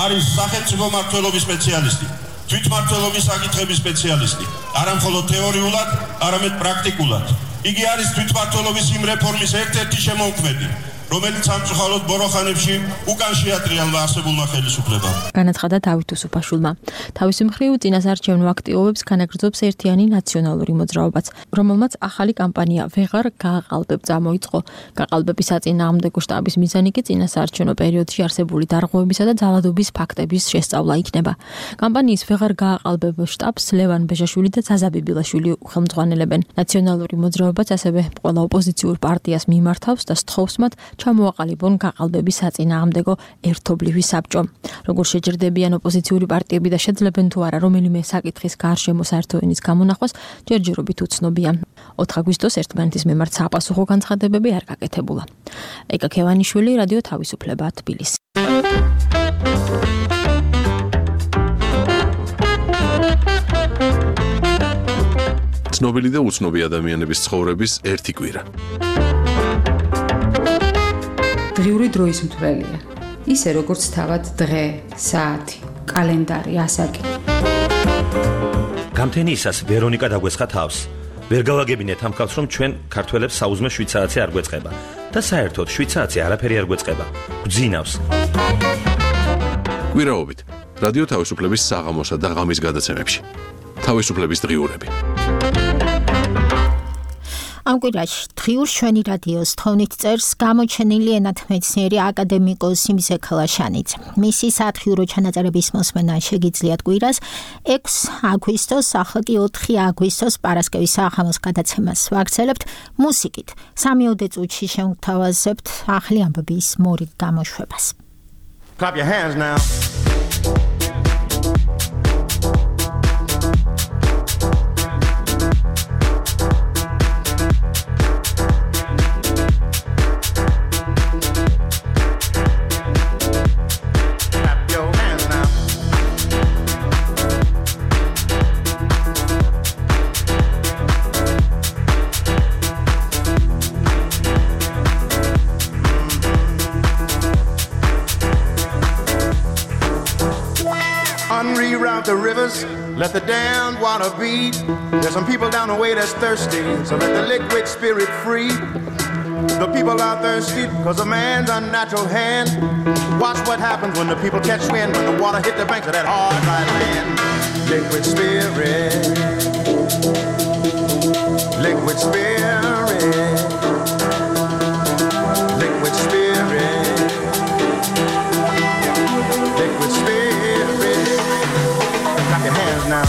არის სახელმწიფო მმართველობის სპეციალისტი, თვითმმართველობის საკითხების სპეციალისტი, არა მხოლოდ თეორიულად, არამედ პრაქტიკულად. იგი არის თვითმმართველობის იმ რეფორმის ერთ-ერთი შემოქმედი, რომელიც სამწუხაროდ ბოროხანებში უკან შეატრიალმა არსებულმა ხელისუფლებამ. განაცხადა დავით უსუფაშვილმა. თავისი მხრივ წინასარჩევნო აქტივობებს განაგრძობს ერთიანი ნაციონალური მოძრაობაც, რომელმაც ახალი კამპანია ვეღარ გააყალბებ წამოიწყო. გაყალბების საწინააღმდეგო შტაბის მიზანი კი წინასარჩევნო პერიოდში არსებული დარღვევებისა და ძალადობის ფაქტების შესწავლა იქნება. კამპანიის ვეღარ გააყალბებ შტაბს ლევან ბეჟაშვილი და ზაზა ბიბილაშვილი ხელმძღვანელებენ. ნაციონალური მოძრაობაც ასევე ყველა ოპოზიციურ პარტიას მიმართავს და სთხოვს მათ ჩამოაყალიბონ გაყალბების საწინააღმდეგო ერთობლივი საბჭო. როგორ შეჯერდებიან ოპოზიციური პარტიები და შეძლებენ თუ არა რომელიმე საკითხის გარშემო საერთო ენის გამონახვას, ჯერჯერობით უცნობია. 4 აგვისტოს ერთმანეთის მიმართ საპასუხო განცხადებები არ გაკეთებულა. ეკა ქევანიშვილი, რადიო თავისუფლება, თბილისი. ცნობილი და უცნობი ადამიანების ცხოვრების ერთი კვირა. დღიური დროის მთვრელია. ისე როგორც თავად დღე, საათი, კალენდარი, ასაკი. გამთენიისას ვერონიკა დაგვესხა თავს. ვერ გავაგებინეთ ამ ხალხს, რომ ჩვენ ქართველებს საუზმე 7 საათი არ გვეწყება და საერთოდ 7 საათი არაფერი არ გვეწყება. გვძინავს. კვირაობით რადიო თავისუფლების საღამოსა და ღამის გადაცემებში. თავისუფლების დღიურები. ამ კვირაში დღიურ ჩვენი რადიოს თხოვნით წერს გამოჩენილი ენათმეცნიერი აკადემიკოსი მისე ქალაშანიძე. მისი სათხიურო ჩანაწერების მოსმენა შეგიძლიათ კვირას 6 აგვისტოს, ახლა კი 4 აგვისტოს პარასკევის საღამოს გადაცემას ვაგრძელებთ მუსიკით. 3 წუთში შევთავაზებთ ახალი ამბების მორიგ გამოშვებას. Clap your hands now. Reroute the rivers, let the damned water beat. There's some people down the way that's thirsty, so let the liquid spirit free. The people are thirsty because of man's unnatural hand. Watch what happens when the people catch wind, when the water hit the banks of that hard, dry land. Liquid spirit, liquid spirit, liquid spirit, liquid spirit. Clap your hands now.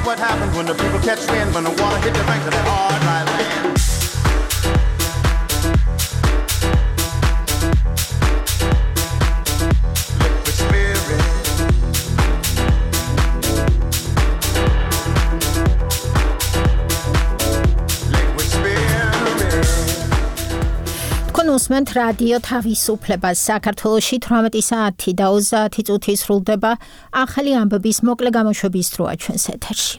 what happens when the people catch wind, when the water hit the banks of that hard, dry land. უსმენთ რადიო თავისუფლებას. საქართველოში 18 საათი და 30 წუთი სრულდება ახალი ამბების მოკლე გამოშვების დროა ჩვენს ეთერში.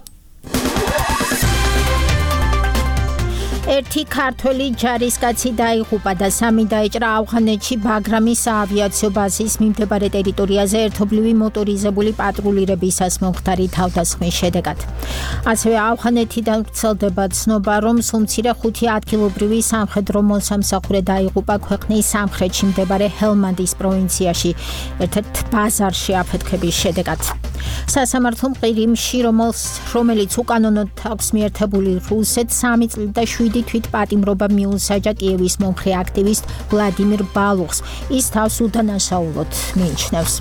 ერთი ქართველი ჯარისკაცი დაიღუპა და 3 დაიჭრა ავღანეთში ბაგრამის საავიაციო ბაზის მიმდებარე ტერიტორიაზე ერთობლივი მოტორიზებული პატრულირებისას მომხდარი თავდასხმის შედეგად. ასევე ავღანეთიდან ვრცელდება ცნობა, რომ სულ მცირე 5 ადგილობრივი სამხედრო მოსამსახურე დაიღუპა ქვეყნის სამხრეთში მდებარე ჰელმანდის პროვინციაში ერთ-ერთ ბაზარში აფეთქების შედეგად. სასამართლო მყირიმში, რომელიც უკანონოდ აქვს მიერთებული რუსეთს 3 წლით და 7 თვით პატიმრობა მიუსაჯა კიევის მომხრე აქტივისტ ვლადიმირ ბალუხს. ის თავს უდანაშაულოდ მიიჩნევს.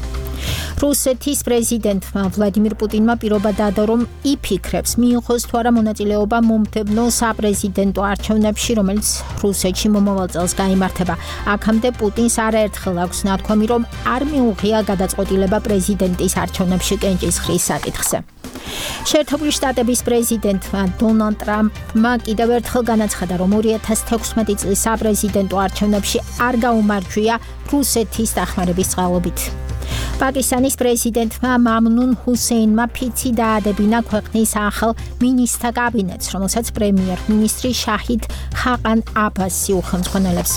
რუსეთის პრეზიდენტმა ვლადიმირ პუტინმა პირობა დადო, რომ იფიქრებს მიიღოს თუ არა მონაწილეობა მომდევნო საპრეზიდენტო არჩევნებში, რომელიც რუსეთში მომავალ წელს გაიმართება. აქამდე პუტინს არაერთხელ აქვს ნათქვამი, რომ არ მიუღია გადაწყვეტილება პრეზიდენტის არჩევნებში კენჭისყრის საკითხზე. შეერთებული შტატების პრეზიდენტმა დონალდ ტრამპმა კიდევ ერთხელ განაცხადა, რომ 2016 წლის საპრეზიდენტო არჩევნებში არ გაუმარჯვია რუსეთის დახმარების წყალობით. პაკისტანის პრეზიდენტმა მამნუნ ჰუსეინმა ფიცი დაადებინა ქვეყნის ახალ მინისტრთა კაბინეტს, რომელსაც პრემიერ-მინისტრი შაჰიდ ხაყან აბასი უხელმძღვანელებს.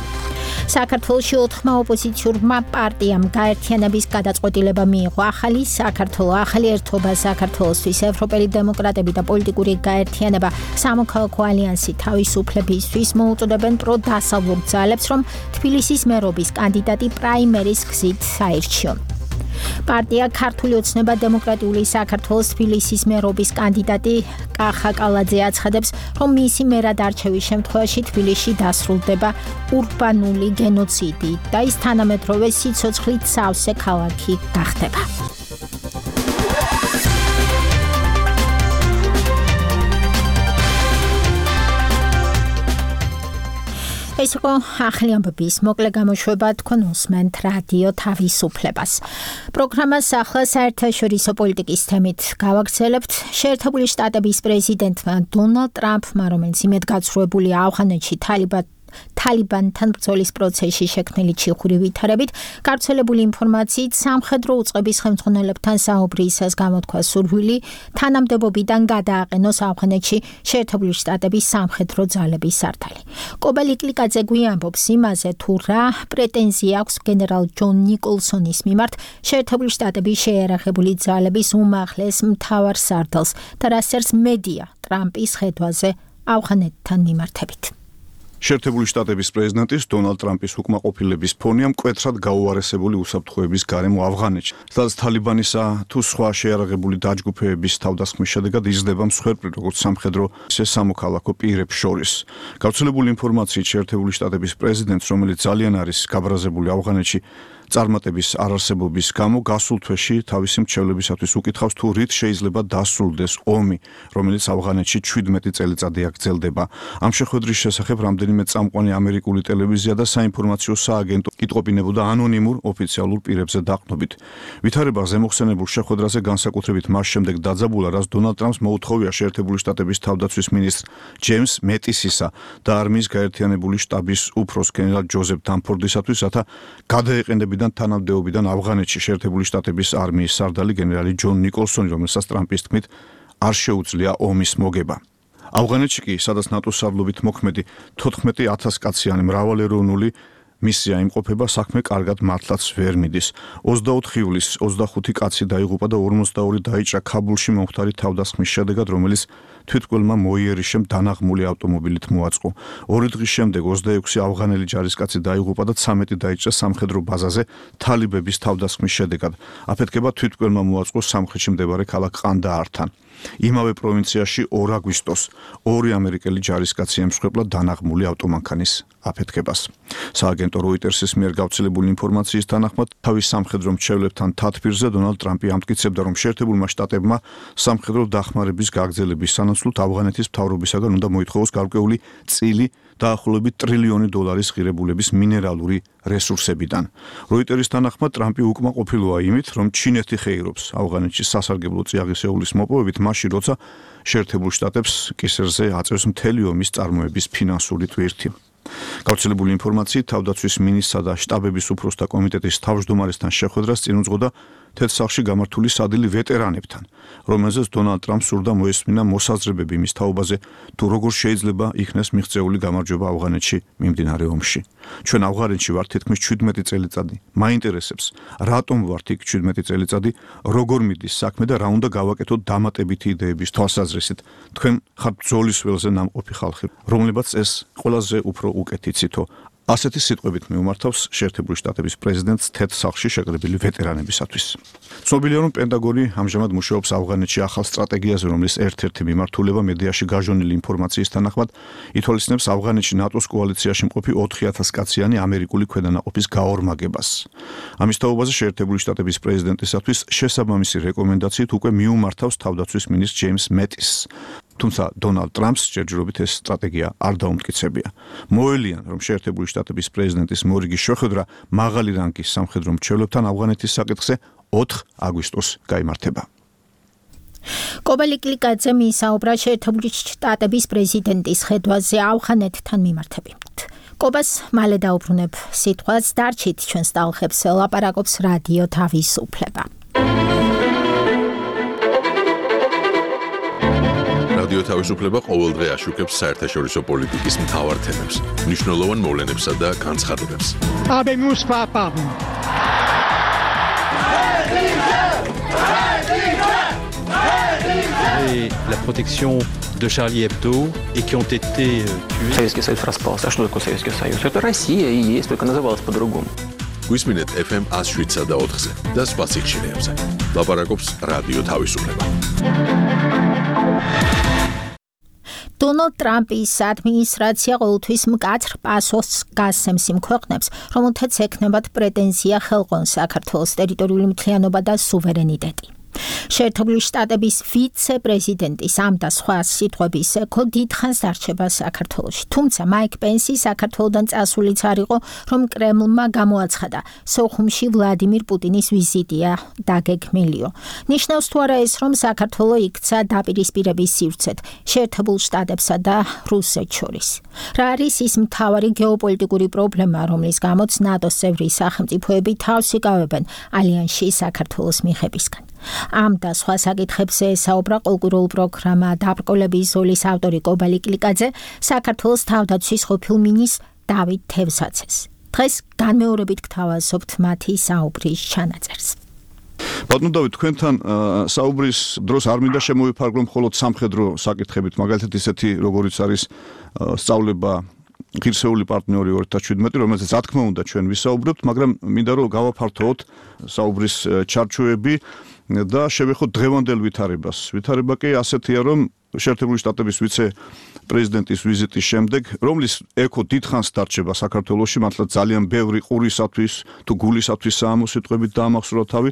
საქართველოში 4 ოპოზიციურმა პარტიამ გაერთიანების გადაწყვეტილება მიიღო. ახალი საქართველო, ახალი ერთობა საქართველოსთვის, ევროპელი დემოკრატები და პოლიტიკური გაერთიანება სამოქალაქო ალიანსი თავისუფლებისთვის მოუწოდებენ პროდასავლურ ძალებს, რომ თბილისის მერობის კანდიდატი პრაიმერის გზით აირჩიონ. პარტია ქართული ოცნება დემოკრატიული საქართველოს თბილისის მერობის კანდიდატი კახა კალაძე აცხადებს, რომ მისი მერად არჩევის შემთხვევაში თბილისში დასრულდება ურბანული გენოციდი და ის თანამედროვე სიცოცხლით სავსე ქალაქი გახდება. ეს იყო ახალი ამბების მოკლე გამოშვება, თქვენ უსმენთ რადიო თავისუფლებას. პროგრამას ახლა საერთაშორისო პოლიტიკის თემით გავაგრძელებთ. შეერთებული შტატების პრეზიდენტმა დონალდ ტრამპმა, რომელიც იმედგაცრუებულია ავღანეთში თალიბანთან ბრძოლის პროცესში შექმნილი ჩიხური ვითარებით, გავრცელებული ინფორმაციით სამხედრო უწყების ხელმძღვანელებთან საუბრისას გამოთქვა სურვილი თანამდებობიდან გადააყენოს ავღანეთში შეერთებული შტატების სამხედრო ძალების სარდალი. კობელი კლიკაძე გვიამბობს იმაზე, თუ რა პრეტენზია აქვს გენერალ ჯონ ნიკოლსონის მიმართ შეერთებული შტატების შეიარაღებული ძალების უმაღლეს მთავარ სარდალს და რა წერს მედია ტრამპის ხედვაზე ავღანეთთან მიმართებით. შეერთებული შტატების პრეზიდენტის დონალდ ტრამპის უკმაყოფილების ფონია მკვეთრად გაუარესებული უსაფრთხოების გარემო ავღანეთში, სადაც თალიბანისა თუ სხვა შეიარაღებული დაჯგუფებების თავდასხმის შედეგად იზრდება მსხვერპლი როგორც სამხედრო, ისე სამოქალაქო პირებს შორის. გავრცელებული ინფორმაციით შეერთებული შტატების პრეზიდენტს, რომელიც ძალიან არის გაბრაზებული ავღანეთში წარმატების არარსებობის გამო, გასულ თვეში თავისი მრჩევლებისათვის უკითხავს, თუ რით შეიძლება დასრულდეს ომი, რომელიც ავღანეთში 17 წელიწადი აგრძელდება. ამ შეხვედრის შესახებ რამდენიმე წამყვანი ამერიკული ტელევიზია და საინფორმაციო სააგენტო კითხავინებოდა ანონიმურ ოფიციალურ პირებზე დაყრდნობით. ვითარება ზემოხსენებულ შეხვედრაზე განსაკუთრებით მას შემდეგ დაძაბულა, რაც დონალდ ტრამპს მოუთხოვია შეერთებული შტატების თავდაცვის მინისტრ ჯეიმს მეტისისა და არმიის გაერთიანებული შტაბის უფროს გენერალ ჯოზეფ დამფორდისათვის, რათა გადაეყენებინათ თანამდებობიდან ავღანეთში შეერთებული შტატების არმიის სარდალი გენერალი ჯონ ნიკოლსონი, რომელსაც ტრამპის თქმით არ შეუძლია ომის მოგება. ავღანეთში კი, სადაც ნატოს სარდლობით მოქმედი 14,000 კაციანი მრავალეროვნული მისია იმყოფება, საქმე კარგად მართლაც ვერ მიდის. 24 ივლისს 25 კაცი დაიღუპა და 42 დაიჭრა ქაბულში მომხდარი თავდასხმის შედეგად, რომელიც თვითმკვლელმა მოიერიშემ დანაღმული ავტომობილით მოაწყო. 2 დღის შემდეგ 26 ავღანელი ჯარისკაცი დაიღუპა და 13 დაიჭრა სამხედრო ბაზაზე თალიბების თავდასხმის შედეგად. აფეთქება თვითმკვლელმა მოაწყო სამხრეთში მდებარე ქალაქ ყანდაართან. იმავე პროვინციაში 2 აგვისტოს 2 ამერიკელი ჯარისკაცი ემსხვერპლა დანაღმული ავტომანქანის აფეთქებას. სააგენტო როიტერსის მიერ გავრცელებული ინფორმაციის თანახმად, თავის სამხედრო მრჩევლებთან თათბირზე დონალდ ტრამპი ამტკიცებდა, რომ შეერთებულმა შტატებმა სამხედრო დახმარების გაგრძელების სანაცვლოდ ავღანეთის მთავრობისაგან უნდა მოითხოვოს გარკვეული წილი დაახლოებით $1 ტრილიონი ღირებულების მინერალური რესურსებიდან. როიტერის თანახმად, ტრამპი უკმაყოფილოა იმით, რომ ჩინეთი ხეირობს ავღანეთში სასარგებლო წიაღისეულის მოპოვებით, მაშინ როცა შეერთებულ შტატებს კისერზე აწევს მთელი ომის წარმოების ფინანსური ტვირთი. გავრცელებული ინფორმაციით, თავდაცვის მინისტრსა და შტაბების უფროსთა კომიტეტის თავმჯდომარესთან შეხვედრას წინ უძღოდა თეთრ სახლში გამართული სადილი ვეტერანებთან, რომელზეც დონალდ ტრამპს სურდა მოესმინა მოსაზრებები მის თაობაზე, თუ როგორ შეიძლება იქნეს მიღწეული გამარჯვება ავღანეთში მიმდინარე ომში. ჩვენ ავღანეთში ვართ თითქმის 17 წელიწადი. მაინტერესებს, რატომ ვართ იქ 17 წელიწადი, როგორ მიდის საქმე და რა უნდა გავაკეთოთ დამატებითი იდეების თვალსაზრისით. თქვენ ხართ ბრძოლის ველზე ნამყოფი ხალხი, რომლებაც ეს ყველაზე უფრო უკეთ იცითო. ასეთი სიტყვებით მიუმართავს შეერთებული შტატების პრეზიდენტს თეთრ სახლში შეკრებილი ვეტერანებისათვის. ცნობილია, რომ პენტაგონი ამჟამად მუშაობს ავღანეთში ახალ სტრატეგიაზე, რომლის ერთ-ერთი მიმართულება მედიაში გაჟონილი ინფორმაციის თანახმად ითვალისწინებს ავღანეთში ნატოს კოალიციაში მყოფი 4000 კაციანი ამერიკული ქვედანაყოფის გაორმაგებას. ამის თაობაზე შეერთებული შტატების პრეზიდენტისათვის შესაბამისი რეკომენდაციით უკვე მიუმართავს თავდაცვის მინისტრ ჯეიმს მეტისს. თუმცა დონალდ ტრამპს ჯერჯერობით ეს სტრატეგია არ დაუმტკიცებია. მოელიან, რომ შეერთებული შტატების პრეზიდენტის მორიგის შეხვედრა მაღალი რანგის სამხედრო მრჩევლებთან ავღანეთის საკითხზე 4 აგვისტოს გაიმართება. კობალიკლიკაძე მისაუბრა შეერთებული შტატების პრეზიდენტის ხედვაზე ავღანეთთან მიმართებით. კობას მალე დაუბრუნებ სიტყვას, დარჩით ჩვენს ტალღებს, ლაპარაკობს რადიო თავისუფლება. რადიო თავისუფლება ყოველდღე აშუქებს საერთაშორისო პოლიტიკის მთავარ თემებს, მნიშვნელოვან მოვლენებსა და განცხადებებს. Habemus papam. Et la protection de Charlie Hebdo et qui ont été tués. Советский Союз распался. А что такое Советский Союз? Это Россия и есть, только называлась по-другому. გვისმინეთ FM 107 და 4-ზე და სხვა სიხშირეებზე. ლაპარაკობს რადიო თავისუფლება. დონალდ ტრამპის ადმინისტრაცია ყოველთვის მკაცრ პასუხს გასცემს იმ ქვეყნებს, რომელთაც ექნებათ პრეტენზია ხელყონ საქართველოს ტერიტორიული მთლიანობა და სუვერენიტეტი. შეერთებული შტატების ვიცე-პრეზიდენტის ამ და სხვა სიტყვების ეკო დიდხანს დარჩება საქართველოში. თუმცა მაიკ პენსი საქართველოდან წასულიც არ იყო, რომ კრემლმა გამოაცხადა სოხუმში ვლადიმირ პუტინის ვიზიტია დაგეგმილიო. ნიშნავს თუ არა ეს, რომ საქართველო იქცა დაპირისპირების სივრცედ შეერთებულ შტატებსა და რუსეთს შორის. რა არის ის მთავარი გეოპოლიტიკური პრობლემა, რომლის გამოც ნატოს წევრი სახელმწიფოები თავს იკავებენ ალიანსში საქართველოს მიღებისგან? ამ და სხვა საკითხებზე საუბრა კულტურულ პროგრამა დაბრკოლების ზოლის ავტორი კობალიკლიკაძე საქართველოს თავდაცვის ყოფილ მინისტრ დავით თევზაძეს. დღეს განმეორებით გთავაზობთ მათი საუბრის ჩანაწერს. ბატონო დავით, თქვენთან საუბრის დროს არ მინდა შემოვიფარგლო მხოლოდ სამხედრო საკითხებით, მაგალითად ისეთი როგორიც არის სწავლება ღირსეული პარტნიორი 2017, რომელზეც რა თქმა უნდა ჩვენ ვისაუბრებთ, მაგრამ მინდა რომ გავაფართოვოთ საუბრის ჩარჩოები და შევეხოთ დღევანდელ ვითარებას. ვითარება კი ასეთია, რომ შეერთებული შტატების ვიცე-პრეზიდენტის ვიზიტის შემდეგ, რომლის ეკო დიდხანს დარჩება საქართველოში, მართლა ძალიან ბევრი ყურისათვის თუ გულისათვის ამოსიტყვებით დაამახსოვრა თავი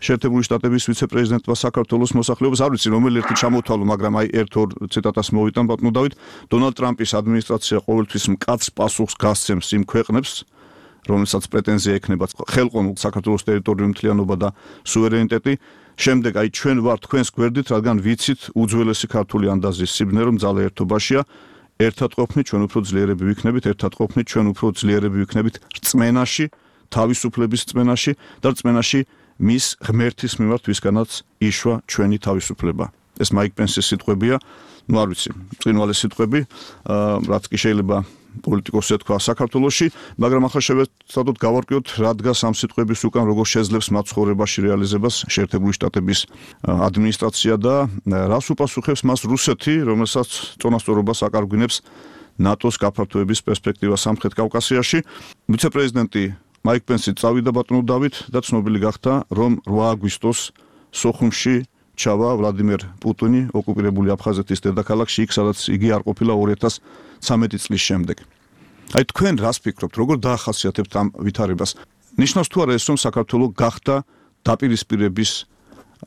შეერთებული შტატების ვიცე-პრეზიდენტმა საქართველოს მოსახლეობას, არ ვიცი რომელი ერთი ჩამოთვალო, მაგრამ აი ერთ-ორ ციტატას მოვიტან ბატონო დავით, დონალდ ტრამპის ადმინისტრაცია ყოველთვის მკაცრ პასუხს გასცემს იმ ქვეყნებს, რომელსაც პრეტენზია ექნება ხელყონ საქართველოს ტერიტორიული მთლიანობა და სუვერენიტეტი. შემდეგ აი ჩვენ ვართ თქვენს გვერდით, რადგან ვიცით უძველესი ქართული ანდაზის სიბნე, რომ ძალა ერთობაშია, ერთად ყოფნით ჩვენ უფრო ძლიერები ვიქნებით, ერთად ყოფნით ჩვენ უფრო ძლიერები ვიქნებით რწმენაში, თავისუფლების რწმენაში და რწმენაში მის ღმერთის მიმართ, ვისგანაც იშვა ჩვენი თავისუფლება. ეს მაიკ პენსის სიტყვებია, ну არ ვიცი, წინვალე სიტყვები, რაც კი შეიძლება პოლიტიკოსს ეთქვა საქართველოში, მაგრამ ახლა შევეცადოთ გავარკვიოთ, რა დგას ამ სიტყვების უკან, როგორ შეძლებს მათ ცხოვრებაში რეალიზებას შეერთებული შტატების ადმინისტრაცია და რას უპასუხებს მას რუსეთი, რომელსაც წონასწორობას აკარგვინებს ნატოს გაფართოების პერსპექტივა სამხრეთ კავკასიაში. ვიცე-პრეზიდენტი მაიკ პენსი წავიდა ბატონო დავით და ცნობილი გახდა, რომ 8 აგვისტოს სოხუმში ჩავა ვლადიმერ პუტინი ოკუპირებული აფხაზეთის დედაქალაქში, იქ სადაც იგი არ ყოფილა 2013 წლის შემდეგ. აი თქვენ რას ფიქრობთ, როგორ დაახასიათებთ ამ ვითარებას? ნიშნავს თუ არა ეს, რომ საქართველო გახდა დაპირისპირების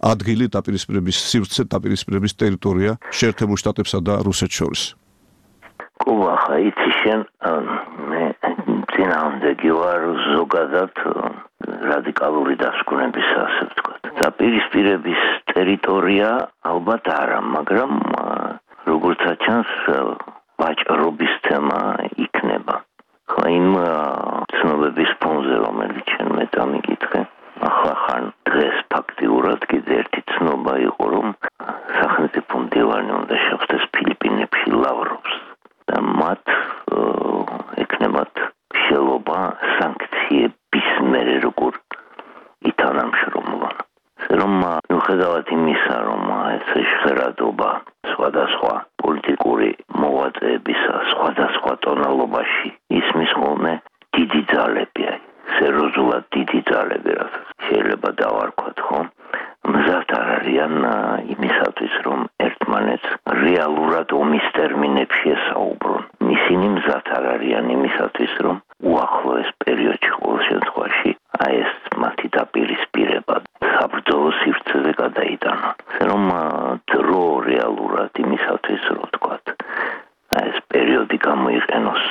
ადგილი, დაპირისპირების სივრცე, დაპირისპირების ტერიტორია შეერთებულ შტატებსა და რუსეთს შორის? კუბახა იცი შენ მე წინააღმდეგი ვარ ზოგადად რადიკალური დასკვნების ასე ვთქვათ. დაპირისპირების ტერიტორია ალბათ არა, მაგრამ როგორც ჩანს ვაჭრობის თემა იქნება. ხო იმ ცნობების ფონზე, რომელიც შენ მე დამიკითხე, ახლა ხან დღეს ფაქტიურად კიდე ერთი ცნობა იყო, რომ სახელმწიფო მდივანი უნდა შეხვდეს ფილიპინებში ლავროვს და მათ ეკნებათ შელობა სანქციების მერე როგორ ითანამშრომლონ. რომ მიუხედავად იმისა, რომ ეს ჟღერადობა სხვადასხვა პოლიტიკური მოღვაწეებისა სხვადასხვა ტონალობაში ისმის ხოლმე დიდი ძალები, სერიოზულად დიდი ძალები, რასაც შეიძლება დავარქვათ, ხო? მზად არ არიან იმისათვის, რომ ერთმანეთს რეალურად ომის ტერმინებში ესაუბრონ. ისინი მზად არ არიან იმისათვის, რომ უახლოეს პერიოდში ყოველ შემთხვევაში ეს მათი დაპირისპირება საბრძოლო სივრცეზე გადაიტანონ. რომ დრო რეალურად იმისათვის, რომ ვთქვათ, ეს პერიოდი გამოიყენოს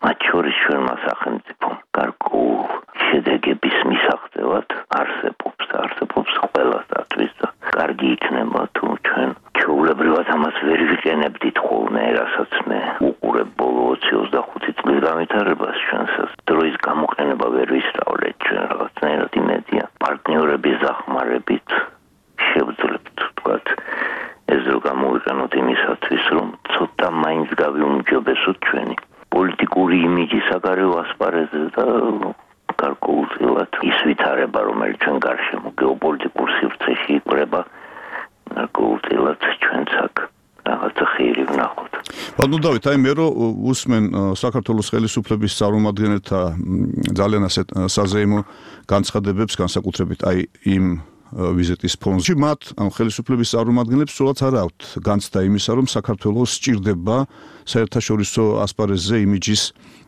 მათ შორის ჩვენმა სახელმწიფომ გარკვეულ შედეგების მისაღწევად არსებობს ყველასათვის და კარგი იქნება თუ ჩვენ ჩვეულებრივად ამას ვერ ვიყენებდით ხოლმე, რასაც მე უყურებ ბოლო 20-25 წლის განვითარებას ჩვენსაც დროის გამოყენება ვერ ვისწავლეთ ჩვენ რაღაცნაირად იმედია პარტნიორების დახმარებით შევძლებთ ვთქვათ ეს რო გამოვიყენოთ იმისათვის რომ ცოტა მაინც გავიუმჯობესოთ ჩვენი პოლიტიკური იმიჯი საგარეო ასპარეზზე და გარკვეულწილად ის ვითარება, რომელიც ჩვენ გარშემო გეოპოლიტიკურ სივრცეში იკვრება, გარკვეულწილად ჩვენც აქ რაღაცა ხირი ვნახოთ. ბატონო დავით, აი მე რო უსმენ საქართველოს ხელისუფლების წარმომადგენელთა ძალიან ასეთ საზეიმო განცხადებებს, განსაკუთრებით აი იმ ვიზიტის ფონში, მათ ამ ხელისუფლების წარმომადგენლებს სულაც არ აქვთ განცდა იმისა, რომ საქართველოს სჭირდება საერთაშორისო ასპარეზზე იმიჯის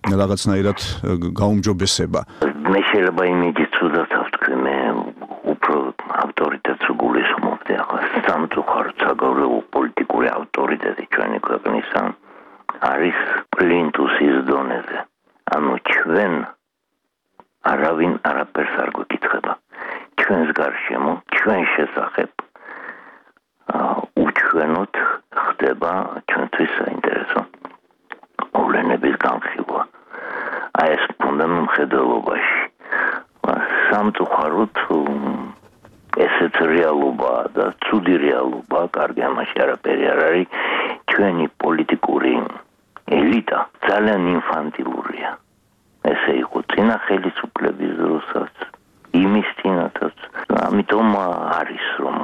რაღაცნაირად გაუმჯობესება. მე შეიძლება იმიჯის ცუდად ავთქვი, მე უფრო ავტორიტეტს გულისხმობდი, ახლა სამწუხაროდ საგარეო პოლიტიკური ავტორიტეტი ჩვენი ქვეყნისა არის პლინტუსის დონეზე. ანუ ჩვენ არავინ არაფერს არ გვეკითხება. ჩვენს გარშემო, ჩვენ შესახებ უჩვენოდ ხდება ჩვენთვის საინტერესო მოვლენების განხილვა. აი ეს უნდა მხედველობაში. სამწუხაროდ ესეც რეალობაა და ცუდი რეალობაა, კარგი ამაში არაფერი არ არის. ჩვენი პოლიტიკური ელიტა ძალიან ინფანტილურია. ესე იყო წინა ხელისუფლების დროსაც. იმის წინათაც, ამიტომ არის რომ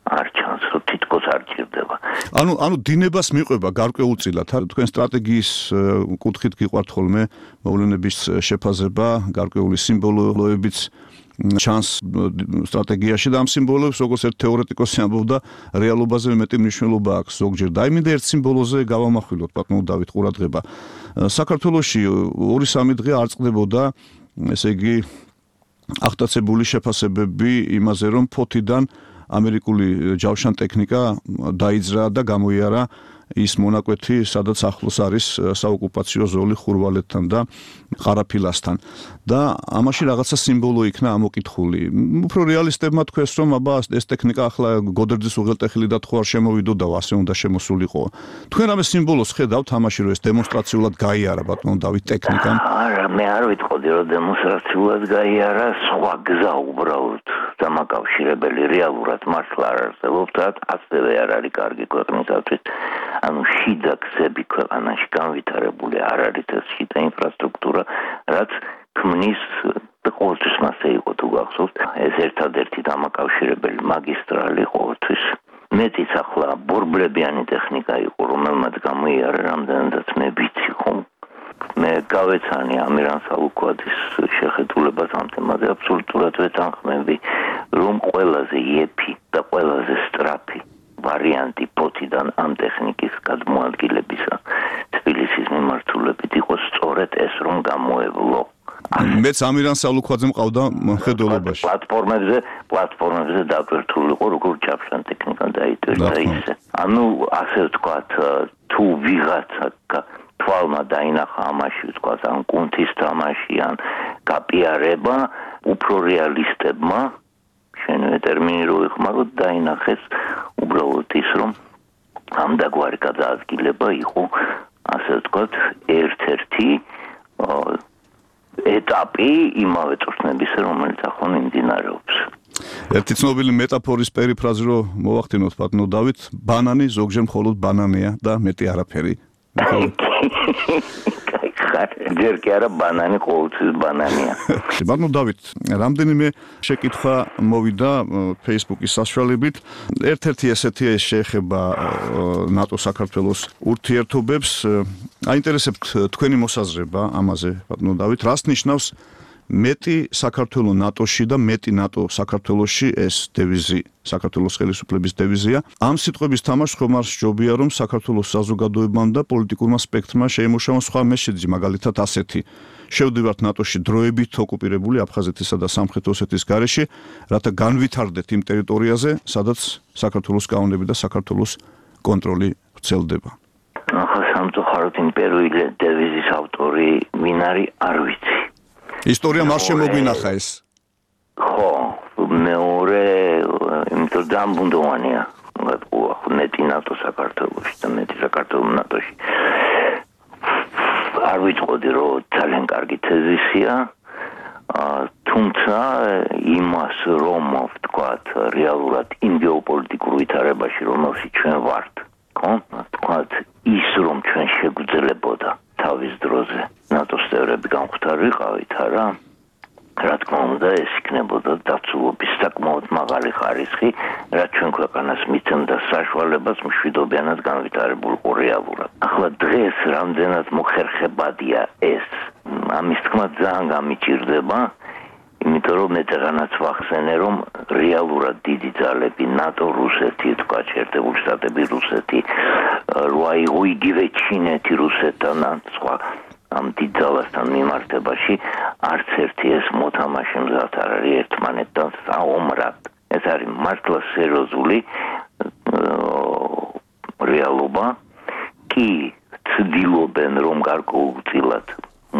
არ ჩანს, რომ თითქოს არ ჭირდება. ანუ დინებას მიყვება გარკვეულწილად, თქვენ სტრატეგიის კუთხით გიყვართ ხოლმე მოვლენების შეფაზება, გარკვეული სიმბოლოებიც ჩანს სტრატეგიაში და ამ სიმბოლოებს როგორც ერთ თეორეტიკოსი ამბობდა, რეალობაზე მეტი მნიშვნელობა აქვს ზოგჯერ. და აიმინდა ერთ სიმბოლოზე გავამახვილოთ, ბატონო დავით, ყურადღება. საქართველოში 2-3 დღე არ წყდებოდა, ესე იგი აღტაცებული შეფასებები იმაზე, რომ ფოთიდან ამერიკული ჯავშან ტექნიკა დაიძრა და გამოიარა ის მონაკვეთი, სადაც ახლოს არის საოკუპაციო ზოლი ხურვალეთთან და ყარაფილასთან. და ამაში რაღაცა სიმბოლო იქნა ამოკითხული. უფრო რეალისტებმა თქვეს, რომ აბა ეს ტექნიკა ახლა გოდერძის უღელტეხილიდან ხო არ შემოვიდოდა, ასე უნდა შემოსულიყო. თქვენ რამე სიმბოლოს ხედავთ ამაში, რომ ეს დემონსტრაციულად გაიარა, ბატონო დავით, ტექნიკამ? არა, მე არ ვიტყოდი, რომ დემონსტრაციულად გაიარა, სხვა გზა უბრალოდ დამაკავშირებელი რეალურად მართლა არ არსებობს, ასევე არ არის კარგი ქვეყნისათვის. ანუ შიდა გზები ქვეყანაში განვითარებული არ არის ეს შიდა ინფრასტრუქტურა, რაც ქმნის ყოველთვის მასე იყო თუ გახსოვთ, ეს ერთადერთი დამაკავშირებელი მაგისტრალი ყოველთვის. მეტიც ახლა ბორბლებიანი ტექნიკა იყო, რომელმაც გამოიარა რამდენადაც მე ვიცი ხომ. მე გავეცანი ამირან სალუქვაძის შეხედულებას ამ თემაზე აბსოლუტურად ვეთანხმები, რომ ყველაზე იეფი და ყველაზე სწრაფი ვარიანტი ფოთიდან ამ ტექნიკის გადმოადგილებისა თბილისის მიმართულებით იყოს სწორედ ეს, რომ გამოევლო. მეც ამირან სალუქვაძე მყავდა მხედველობაში. პლატფორმებზე დაკვირთული იყო, როგორ ჩაფშან ტექნიკა დაიტვირთა ისე. ანუ ასე ვთქვათ, თუ ვიღაცა თვალმა დაინახა ამაში, ვთქვათ, ან კუნთის თამაში, ან გაპიარება, უფრო რეალისტებმა შენვე ტერმინი რო იხმაროთ, დაინახეს უბრალოდ ის, რომ ამ დაგვარი გადაადგილება იყო, ასე ვთქვათ, ერთ-ერთი ეტაპი იმავე წვრთნებისა, რომელიც ახლა მიმდინარეობს. ერთი ცნობილი მეტაფორის პერიფრაზი რო მოვახდინოთ ბატონო დავით, ბანანი ზოგჯერ მხოლოდ ბანანია და მეტი არაფერი. ჯერ კი არა ბანანი ყოველთვის ბანანია. ბატონო დავით, რამდენიმე შეკითხვა მოვიდა Facebook-ის საშუალებით. ერთ-ერთი ესეთი შეეხება ნატო საქართველოს ურთიერთობებს. აინტერესებთ თქვენი მოსაზრება ამაზე, ბატონო დავით, რას ნიშნავს მეტი საქართველოს ნატოში და მეტი ნატო საქართველოში ეს დევიზი, საქართველოს ხელისუფლების დევიზია. ამ სიტყვების თამაშს ხომ არ სჯობია, რომ საქართველოს საზოგადოებამ და პოლიტიკურმა სპექტრმა შეიმუშაოს სხვა მესეჯი, მაგალითად ასეთი: შევდივართ ნატოში დროებით ოკუპირებული აფხაზეთისა და სამხრეთ ოსეთის გარეშე, რათა განვითარდეთ იმ ტერიტორიაზე, სადაც საქართველოს კანონები და საქართველოს კონტროლი ვრცელდება. ახლა სამწუხაროდ იმ პირველი დევიზის ავტორი ვინ არის, არ ვიცი. ისტორიამ არ შემოგვინახა ეს. ხო, მეორე, იმიტომ ძალიან ბუნდოვანია. მეტი ნატო საქართველოში და მეტი საქართველოს ნატოში. არ ვიცოდი, რომ ძალიან კარგი თეზისია. თუმცა იმას, რომ ვთქვათ, რეალურად იმ გეოპოლიტიკურ ვითარებაში, რომელშიც ჩვენ ვართ, ხო? ვთქვათ, ის რომ ჩვენ შეგვიძლებოდა თავის დროზე ნატოს წევრები გამختار ვიყავით, არა? რა თქმა უნდა, ეს იქნებოდა დაცულობის საკმაოდ მაღალი ხარისხი, რაც ჩვენ ქვეყანას მიცემდა საშუალებას მშვიდობიანად განვითარებულიყო რეალურად. ახლა დღეს რამდენად მოხერხებადია ეს, ამის თქმა ძალიან გამიჭირდება, იმიტომ რომ მე დღანაც ვახსენე, რომ რეალურად დიდი ძალები ნატო, რუსეთი, თქვა შეერთებული შტატები, რუსეთი, რა იყო იგივე ჩინეთი რუსეთთან ან სხვა ამ დიდ ძალასთან მიმართებაში არც ერთი ეს მოთამაშე მზად არ არის ერთმანეთთან საომრად. ეს არის მართლა სერიოზული რეალობა. კი ცდილობენ რომ გარკვეულწილად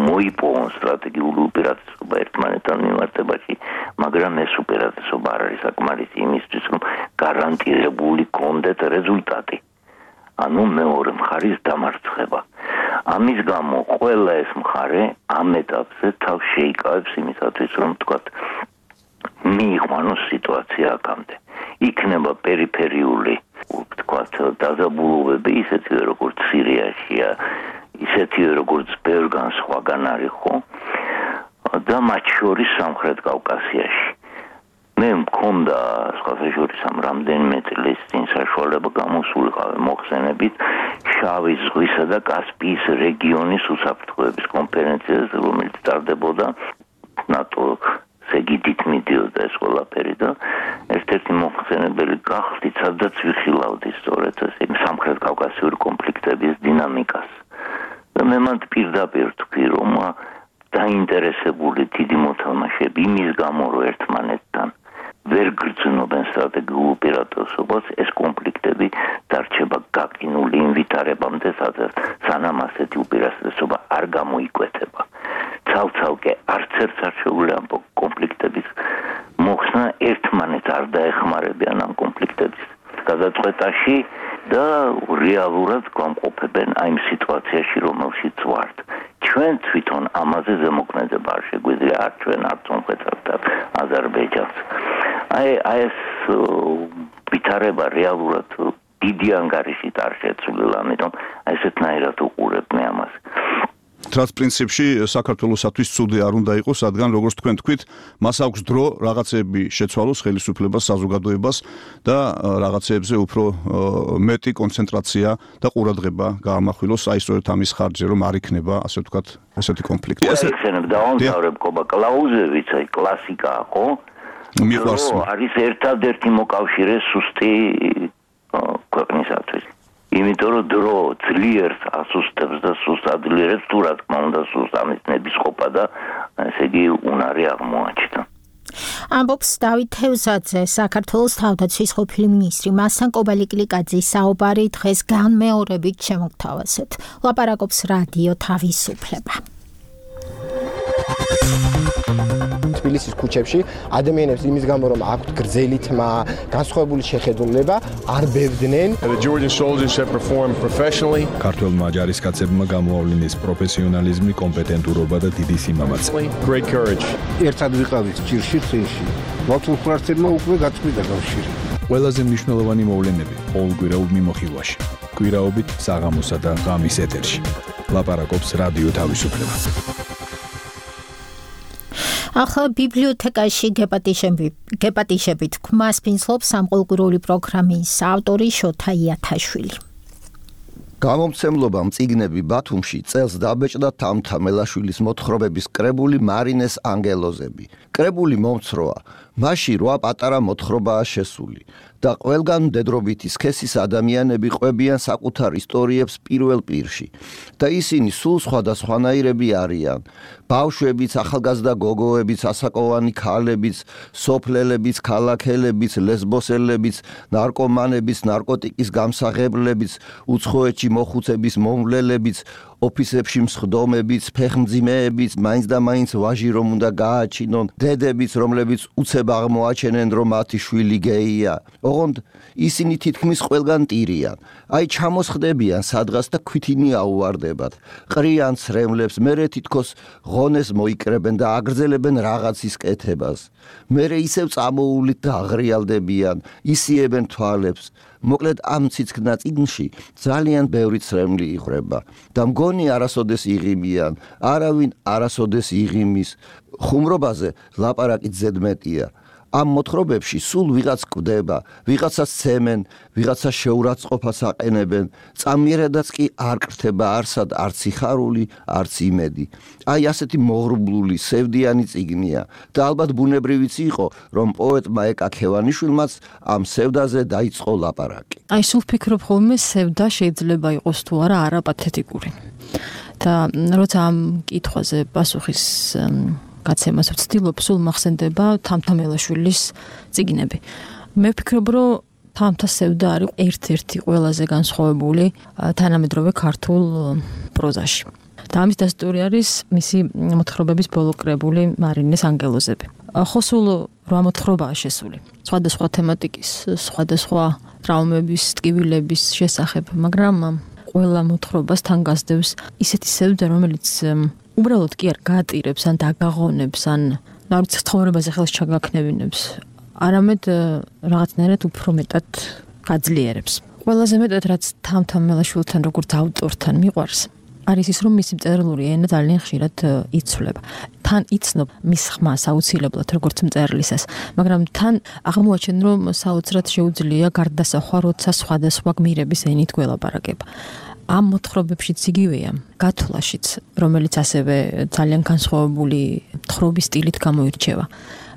მოიპოვონ სტრატეგიული უპირატესობა ერთმანეთთან მიმართებაში, მაგრამ ეს უპირატესობა არ არის საკმარისი იმისთვის, რომ გარანტირებული კონდეთ რეზულტატი. ანუ მეორე მხარის დამარცხება. ამის გამო ყველა ეს მხარე ამ ეტაპზე თავს შეიკავებს იმისათვის, რომ თქვათ, მიიყვანოს სიტუაცია აქამდე. იქნება პერიფერიული, თქვათ, დაზაბულობები, ისეთივე როგორც სირიაშია, ისეთივე როგორც ბევრგან სხვაგან არის, ხო? და მათ შორის სამხრეთ კავკასიაში. მე მქონდა სხვათა შორის ამ რამდენიმე წლის წინ საშუალება გამოსულიყავი მოხსენებით შავი ზღვისა და კასპიის რეგიონის უსაფრთხოების კონფერენციაზე, რომელიც ტარდებოდა ნატოს ეგიდით მიდიოდა ეს ყველაფერი და ერთ-ერთი მოხსენებელი გახდით, სადაც ვიხილავდი სწორედ ეს სამხრეთ კავკასიური კონფლიქტების დინამიკას. და მე მანდ პირდაპირ თქვი, რომ დაინტერესებული დიდი მოთამაშეები იმის გამო, რომ ერთმანეთთან ვერ გრძნობენ სტრატეგიულ უპირატესობას, ეს კონფლიქტები დარჩება გაკინული იმ ვითარებამდე, სანამ ასეთი უპირატესობა არ გამოიკვეთება. ცალ-ცალკე არც ერთს არ შეუძლია ამ კონფლიქტების მოხსნა, ერთმანეთს არ დაეხმარებიან ამ კონფლიქტების გადაწყვეტაში და რეალურად გამყოფებენ აი იმ სიტუაციაში, რომელშიც ვართ. ჩვენ თვითონ ამაზე ზემოქმედება არ შეგვიძლია, არ ჩვენ, არც სომხეთსა აზერბაიჯანს. აი ეს ვითარება რეალურად დიდი ანგარიშით არ შეცვლილა, ამიტომ ესეთნაირად უყურებ მე ამას. რაც პრინციპში საქართველოსათვის ცუდი არ უნდა იყოს, რადგან როგორც თქვენ თქვით, მას აქვს დრო რაღაცები შეცვალოს ხელისუფლებას, საზოგადოებას და რაღაცეებზე უფრო მეტი კონცენტრაცია და ყურადღება გაამახვილოს, აი სწორედ ამის ხარჯზე, რომ არ იქნება, ასე ვთქვათ, ესეთი კონფლიქტი. ესენებ დავამთავრებ კობა კლაუზევიც, აი კლასიკაა, ხო? მიყვარს არის ერთადერთი მოკავშირე სუსტი ქვეყნისათვის. იმიტომ რომ დრო ძლიერ ასუსტებს და სუსტ ადლიერებს თუ რა თქმა უნდა სუსტ ამის ნებისყოფა და ესე იგი უნარი აღმოაჩნდა. ამბობს დავით თევზაძე, საქართველოს თავდაცვის ყოფილი მინისტრი. მასთან კობალიკლიკაძის საუბარი დღეს განმეორებით შემოგთავაზეთ. ლაპარაკობს რადიო თავისუფლება. თბილისის ქუჩებში ადამიანებს იმის გამო რომ აქვთ გრძელი თმა, განსხვავებული შეხედულება, არ ბევდნენ. The Georgian soldiers have performed professionally. ქართველმა ჯარისკაცებმა გამოავლინეს პროფესიონალიზმი, კომპეტენტურობა და დიდი სიმამაცე. Great courage. ერთად ვიყავით ჭირში წინში. მათულ ფრთებმა უკვე გაწყვიტა კავშირი. ყველაზე მნიშვნელოვანი მოვლენები ყოველკვირეულ მიმოხილვაში. კვირაობით საღამოსა და ღამის ეთერში. ლაპარაკობს რადიო თავისუფლება. ახლა ბიბლიოთეკაში გეპატიშებით ქმას ფინსლობს სამყოლკვირეული პროგრამის ავტორი შოთა იათაშვილი. გამომცემლობამ წიგნები ბათუმში წელს დაბეჭდა თამთა მელაშვილის მოთხრობების კრებული მარინეს ანგელოზები. კრებული მომცროა, მასში 8 პატარა მოთხრობაა შესული და ყველგან მდედრობითი სქესის ადამიანები ყვებიან საკუთარ ისტორიებს პირველ პირში და ისინი სულ სხვადასხვანაირები არიან. ბავშვებიც, ახალგაზრდა გოგოებიც, ასაკოვანი ქალებიც, სოფლელებიც, ქალაქელებიც, ლესბოსელებიც, ნარკომანებიც, ნარკოტიკის გამსაღებლებიც, უცხოეთში მოხუცების მომვლელებიც, ოფისებში მსხდომებიც, ფეხმძიმეებიც, მაინც და მაინც ვაჟი რომ უნდა გააჩინონ, დედებიც, რომლებიც უცებ აღმოაჩენენ, რომ მათი შვილი გეია. ოღონდ ისინი თითქმის ყველგან ტირიან. აი ჩამოსხდებიან სადღაც და ქვითინი აუვარდებათ. ყრიან ცრემლებს, მერე თითქოს ღონეს მოიკრებენ და აგრძელებენ რაღაცის კეთებას. მერე ისევ წამოულით და აღრიალდებიან, ისიებენ თვალებს. მოკლედ ამ ციცქნა წიგნში ძალიან ბევრი ცრემლი იხრება და მგონი არასოდეს იღიმიან, არავინ არასოდეს იღიმის. ხუმრობაზე ლაპარაკით ზედმეტია. ამ მოთხრობებში სულ ვიღაც კვდება, ვიღაცას ცემენ, ვიღაცას შეურაცხყოფას აყენებენ, წამიერადაც კი არ კრთება არსად არც სიხარული, არც იმედი. აი ასეთი მოღრუბლული, სევდიანი წიგნია და ალბათ ბუნებრივიც იყო, რომ პოეტმა ეკა ქევანიშვილმაც ამ სევდაზე დაიწყო ლაპარაკი. აი სულ ვფიქრობ ხოლმე სევდა შეიძლება იყოს თუ არა არაპათეტიკური. და როცა ამ კითხვაზე პასუხის გაცემას ვცდილობ, სულ მახსენდება თამთა მელაშვილის წიგნები. მე ვფიქრობ, რომ თამთა სევდა არის ერთ-ერთი ყველაზე განსხვავებული თანამედროვე ქართულ პროზაში. და ამის დასტური არის მისი მოთხრობების ბოლო კრებული მარინეს ანგელოზები. ხო სულ 8 მოთხრობაა შესული. სხვადასხვა თემატიკის, სხვადასხვა ტრავმების, ტკივილების შესახებ, მაგრამ ყველა მოთხრობას თან გასდევს ისეთი სევდა, რომელიც უბრალოდ კი არ გაატირებს ან დაგაღონებს ან არ ვიცი ცხოვრებაზე ხელს ჩაგაქნევინებს, არამედ რაღაცნაირად უფრო მეტად გაძლიერებს. ყველაზე მეტად რაც თამთა მელაშვილთან როგორც ავტორთან მიყვარს, არის ის რომ მისი მწერლური ენა ძალიან ხშირად იცვლება. თან იცნობ მის ხმას აუცილებლად როგორც მწერლისას, მაგრამ თან აღმოაჩენ რომ საოცრად შეუძლია გარდასახვა, როცა სხვადასხვა გმირების ენით გველაპარაკება. ამ მოთხრობებშიც იგივეა, გათვლაშიც, რომელიც ასევე ძალიან განსხვავებული თხრობის სტილით გამოირჩევა.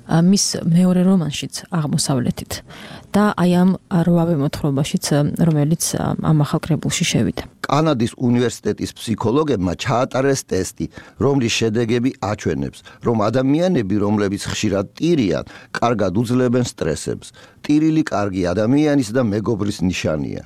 მის მეორე რომანშიც აღმოსავლეთით და აი ამ 8 მოთხრობაშიც, რომელიც ამ ახალ კრებულში შევიდა. კანადის უნივერსიტეტის ფსიქოლოგებმა ჩაატარეს ტესტი, რომლის შედეგები აჩვენებს, რომ ადამიანები, რომლებიც ხშირად ტირიან, კარგად უძლებენ სტრესებს. ტირილი კარგი ადამიანის და მეგობრის ნიშანია.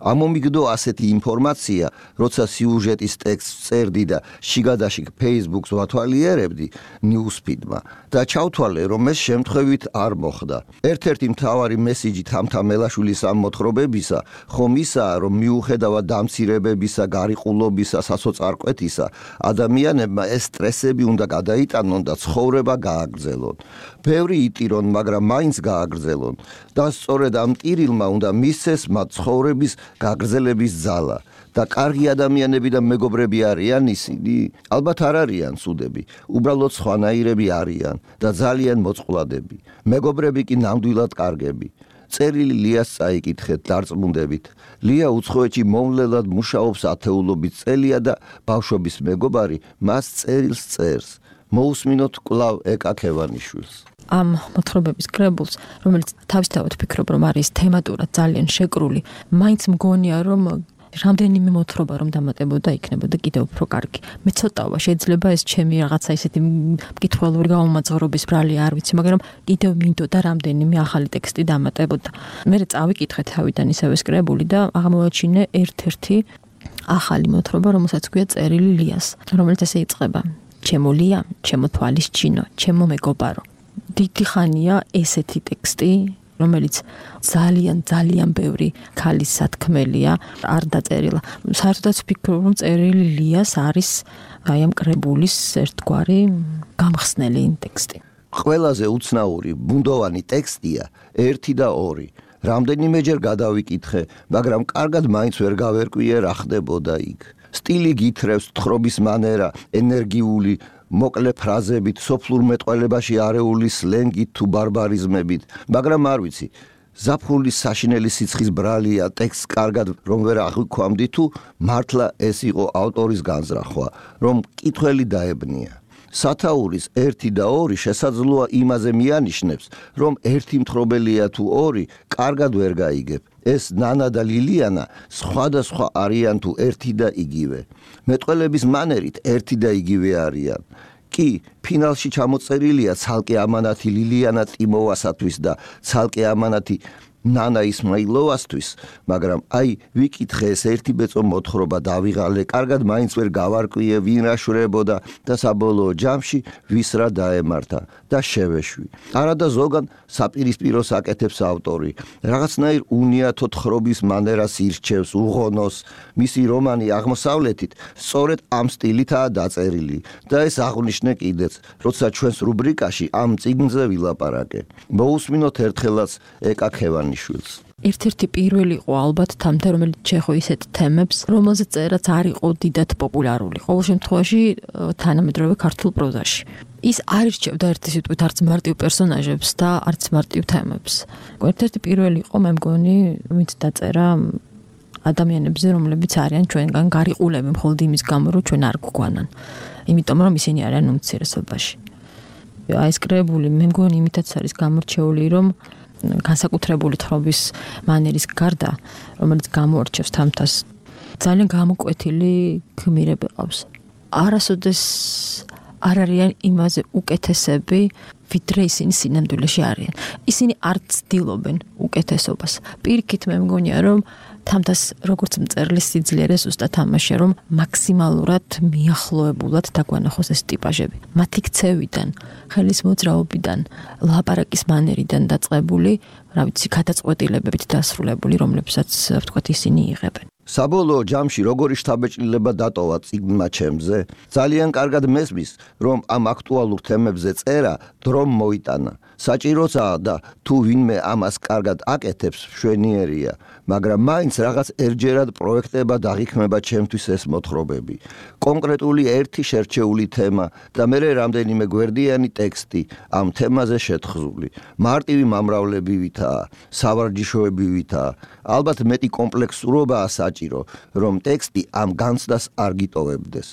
ამომიგდო ასეთი ინფორმაცია, როცა სიუჟეტის ტექსტს წერდი და შიგადაშიგ Facebook-ს ვათვალიერებდი Newsfeed-მა და ჩავთვალე, რომ ეს შემთხვევით არ მოხდა. ერთ-ერთი მთავარი მესიჯი თამთა მელაშვილის ამ მოთხრობებისა ხომ ისაა, რომ მიუხედავად დამცირებებისა, გარიყულობისა, სასოწარკვეთისა, ადამიანებმა ეს სტრესები უნდა გადაიტანონ და ცხოვრება გააგრძელონ. ბევრი იტირონ, მაგრამ მაინც გააგრძელონ და სწორედ ამ ტირილმა უნდა მისცეს მათ ცხოვრების გაგრძელების ძალა და კარგი ადამიანები და მეგობრები არიან ისინი? ალბათ არ არიან ცუდები, უბრალოდ სხვანაირები არიან და ძალიან მოწყვლადები. მეგობრები კი ნამდვილად კარგები. წერილი ლიას წაიკითხეთ დარწმუნდებით. ლია უცხოეთში მომვლელად მუშაობს ათეულობით წელია და ბავშვობის მეგობარი მას წერილს წერს. მოусმინოთ კვლავ ეკაქევანიშვილს. ამ მოთხრობების კრებულს, რომელიც თავისთავად ფიქრობ, რომ არის თემატურად ძალიან შეკრული, მაინც მგონია, რომ რამდენიმე მოთხრობა რომ დამატებოდა იქნებოდა კიდევ უფრო კარგი. მე ცოტაობა შეიძლება ეს ჩემი რაღაცა ისეთი მკითხველური გაუმაძღრობის ბრალი არ ვიცი, მაგრამ კიდევ მინდოდა რამდენიმე ახალი ტექსტი დამატებოდა. მე წავიკითხე თავიდან ისევ ეს კრებული და აღმოაჩინე ერთ-ერთი ახალი მოთხრობა, რომელსაც ქვია წერილი ლიას, რომელიც ესე იწყება: ჩემო ლია, ჩემო თვალის ჩინო, ჩემო მეგობარო. დიდი ხანია ესეთი ტექსტი, რომელიც ძალიან ბევრი ქალის სათქმელია, არ დაწერილა. საერთოდაც ვფიქრობ, რომ წერილი ლიას არის აი ამ კრებულის ერთგვარი გამხსნელი ტექსტი. ყველაზე უცნაური ბუნდოვანი ტექსტია 1 და 2. რამდენიმეჯერ გადავიკითხე, მაგრამ კარგად მაინც ვერ გავერკვიე რა ხდებოდა იქ. სტილი გითხრევს, თხრობის მანერა, ენერგიული მოკლე ფრაზებით, სოფლურ მეტყველებაში არეული სლენგით თუ ბარბარიზმებით, მაგრამ არ ვიცი, ზაფხულის საშინელი სიცხის ბრალია ტექსტს კარგად რომ ვერ აღვიქვამდი თუ მართლა ეს იყო ავტორის განზრახვა, რომ მკითხველი დაებნია. სათაურის 1 და 2 შესაძლოა იმაზე მიანიშნებს, რომ ერთი მთხრობელია თუ 2 კარგად ვერ გაიგებ. ეს ნანა და ლილიანა სხვადასხვა არიან თუ ერთი და იგივე. მეტყველების მანერით ერთი და იგივე არიან. კი, ფინალში ჩამოწერილია ცალკე ამანათი ლილიანა ტიმოვასათვის და ცალკე ამანათი ნანა ისმაილოვასთვის, მაგრამ აი ვიკითხე ეს ერთი ბეწო მოთხრობა დავიღალე, კარგად მაინც ვერ გავარკვიე ვინ რა შვრებოდა და საბოლოო ჯამში ვის რა დაემართა და შევეშვი. არადა ზოგან საპირისპიროს აკეთებს ავტორი. რაღაცნაირ უნიათო თხრობის მანერას ირჩევს, უღონოს. მისი რომანი აღმოსავლეთით სწორედ ამ სტილითაა დაწერილი და ეს აღვნიშნე კიდეც, როცა ჩვენს რუბრიკაში ამ წიგნზე ვილაპარაკე. მოусმინოთ ერთხელაც ეკაქევანი ერთ-ერთი პირველი იყო ალბათ თამთა, რომელიც ჩეხო ისეთ თემებს, რომელზეც წერაც არ იყო დიდად პოპულარული. ყოველ შემთხვევაში თანამედროვე ქართულ პროზაში. ის არ ირჩევდა ერთი სიტყვით არც მარტივ პერსონაჟებს და არც მარტივ თემებს. ერთ-ერთი პირველი იყო, მე მგონი, ვინც დაწერა ადამიანებზე, რომლებიც არიან ჩვენგან გარიყულები მხოლოდ იმის გამო, რომ ჩვენ არ გვგვანან. იმიტომ რომ ისინი არიან უმცირესობაში. აი ეს კრებული მე მგონი იმითაც არის გამორჩეული, რომ განსაკუთრებული თხრობის მანერის გარდა, რომელიც გამოარჩევს თამთას, ძალიან გამოკვეთილი გმირები ყავს. არასოდეს არ არიან იმაზე უკეთესები, ვიდრე ისინი სინამდვილეში არიან. ისინი არ ცდილობენ უკეთესობას. პირიქით მე მგონია, რომ თამთას როგორც მწერლის სიძლიერეს უსტა თამაშია, რომ მაქსიმალურად მიახლოებულად დაგვანახოს ეს ტიპაჟები. მათი ქცევიდან, ხელის მოძრაობიდან, ლაპარაკის მანერიდან დაწყებული, რა ვიცი, გადაწყვეტილებებით დასრულებული, რომლებსაც ვთქვათ ისინი იღებენ. საბოლოო ჯამში როგორი შთაბეჭდილება დატოვა წიგნმა ჩემზე? ძალიან კარგად მესმის, რომ ამ აქტუალურ თემებზე წერა დრომ მოიტანა. საჭიროა და თუ ვინმე ამას კარგად აკეთებს, მშვენიერია, მაგრამ მაინც რაღაც ერთჯერად პროექტება დაღიქმება ჩემთვის ეს მოთხრობები. კონკრეტული ერთი შერჩეული თემა და მერე რამდენიმე გვერდიანი ტექსტი ამ თემაზე შეთხზული. მარტივი მომრავლებივითაა, სავარჯიშოებივითაა, ალბათ მეტი კომპლექსურობაა საჭირო, რომ ტექსტი ამ განცდას არ გიტოვებდეს.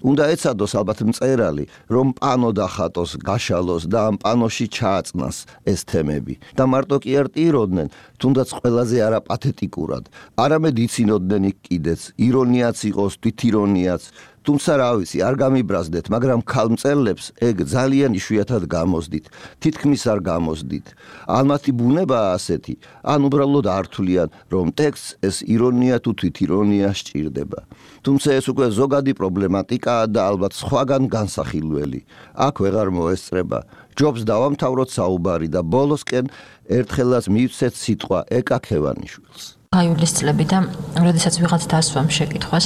უნდა ეცადოს ალბათ მწერალი, რომ პანო დახატოს, გაშალოს და ამ პანოში ჩააწნას ეს თემები. და მარტო კი არ ტიროდნენ, თუნდაც ყველაზე არაპათეტიკურად. არამედ იცინოდნენ იქ კიდეც, ირონიაც იყოს, თვითირონიაც. თუმცა რა ვიცი, არ გამიბრაზდეთ, მაგრამ ქალმწერლებს ეგ ძალიან იშვიათად გამოსდით, თითქმის არ გამოსდით. ან მათი ბუნებაა ასეთი, ან უბრალოდ არ თვლიან, რომ ტექსტს ეს ირონია თუ თვითირონია სჭირდება. თუმცა ეს უკვე ზოგადი პრობლემატიკაა და ალბათ სხვაგან განსახილველი. აქ ვეღარ მოესწრება. ჯობს დავამთავროთ საუბარი და ბოლოსკენ ერთხელაც მივცეთ სიტყვა ეკაქევანიშვილს. აიულის წლებიდან, როდესაც ვიღაც დასვამ შეკითხვას,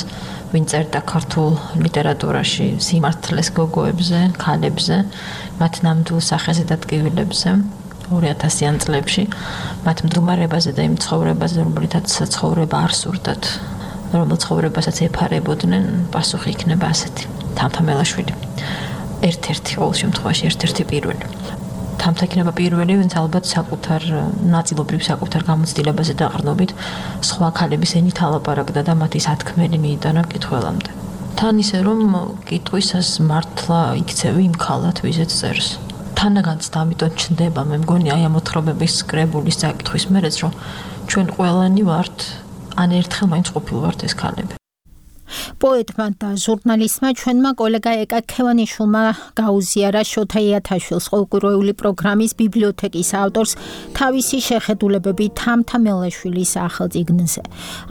ვინ წერდა ქართულ ლიტერატურაში სიმართლეს გოგოებზე, ქალებზე, მათ ნამდვილ სახეზე და ტკივილებზე 2000-იან წლებში, მათ მდგომარეობაზე და იმ ცხოვრებაზე, რომლითაც ცხოვრება არ სურდათ, რომელ ცხოვრებასაც ეფარებოდნენ, პასუხი იქნება ასეთი. თამთა მელაშვილი. ერთ-ერთი ყოველ შემთხვევაში ერთ-ერთი პირველი. თამთა იქნება პირველი, ვინც ალბათ საკუთარ ნაწილობრივ საკუთარ გამოცდილებაზე დაყრდნობით სხვა ქალების ენით ალაპარაკდა და მათი სათქმელი მიიტანა მკითხველამდე. თან ისე რომ კითხვისას მართლა იქცევი იმ ქალად ვიზეც წერს. თანაგანც ამიტომ ჩნდება მე მგონი აი ამ მოთხრობების კრებულის საკითხვის მერეც რომ ჩვენ ყველანი ვართ ან ერთხელ მაინც ყოფილვართ ეს ქალები. პოეტმა და ჟურნალისტმა ჩვენმა კოლეგა ეკა ქევანიშვილმა გაუზიარა შოთა იათაშვილის ყოველკვირეული პროგრამის ბიბლიოთეკის ავტორს თავისი შეხედულებები თამთა მელაშვილის სახელწიგნზე.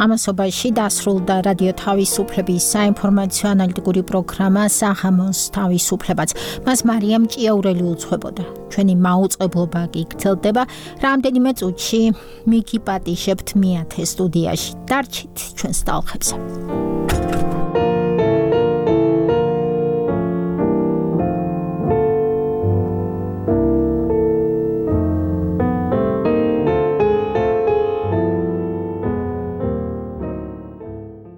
ამასობაში დასრულდა რადიო თავისუფლების საინფორმაციო ანალიტიკური პროგრამა საღამოს თავისუფლებაც. მას მარიამ ჭიაურელი უძღვებოდა. ჩვენი მაუწყებლობა კი გრძელდება რამდენიმე წუთში მიგი პატიჟებთ მეათე სტუდიაში. დარჩით ჩვენს ტალღებზე.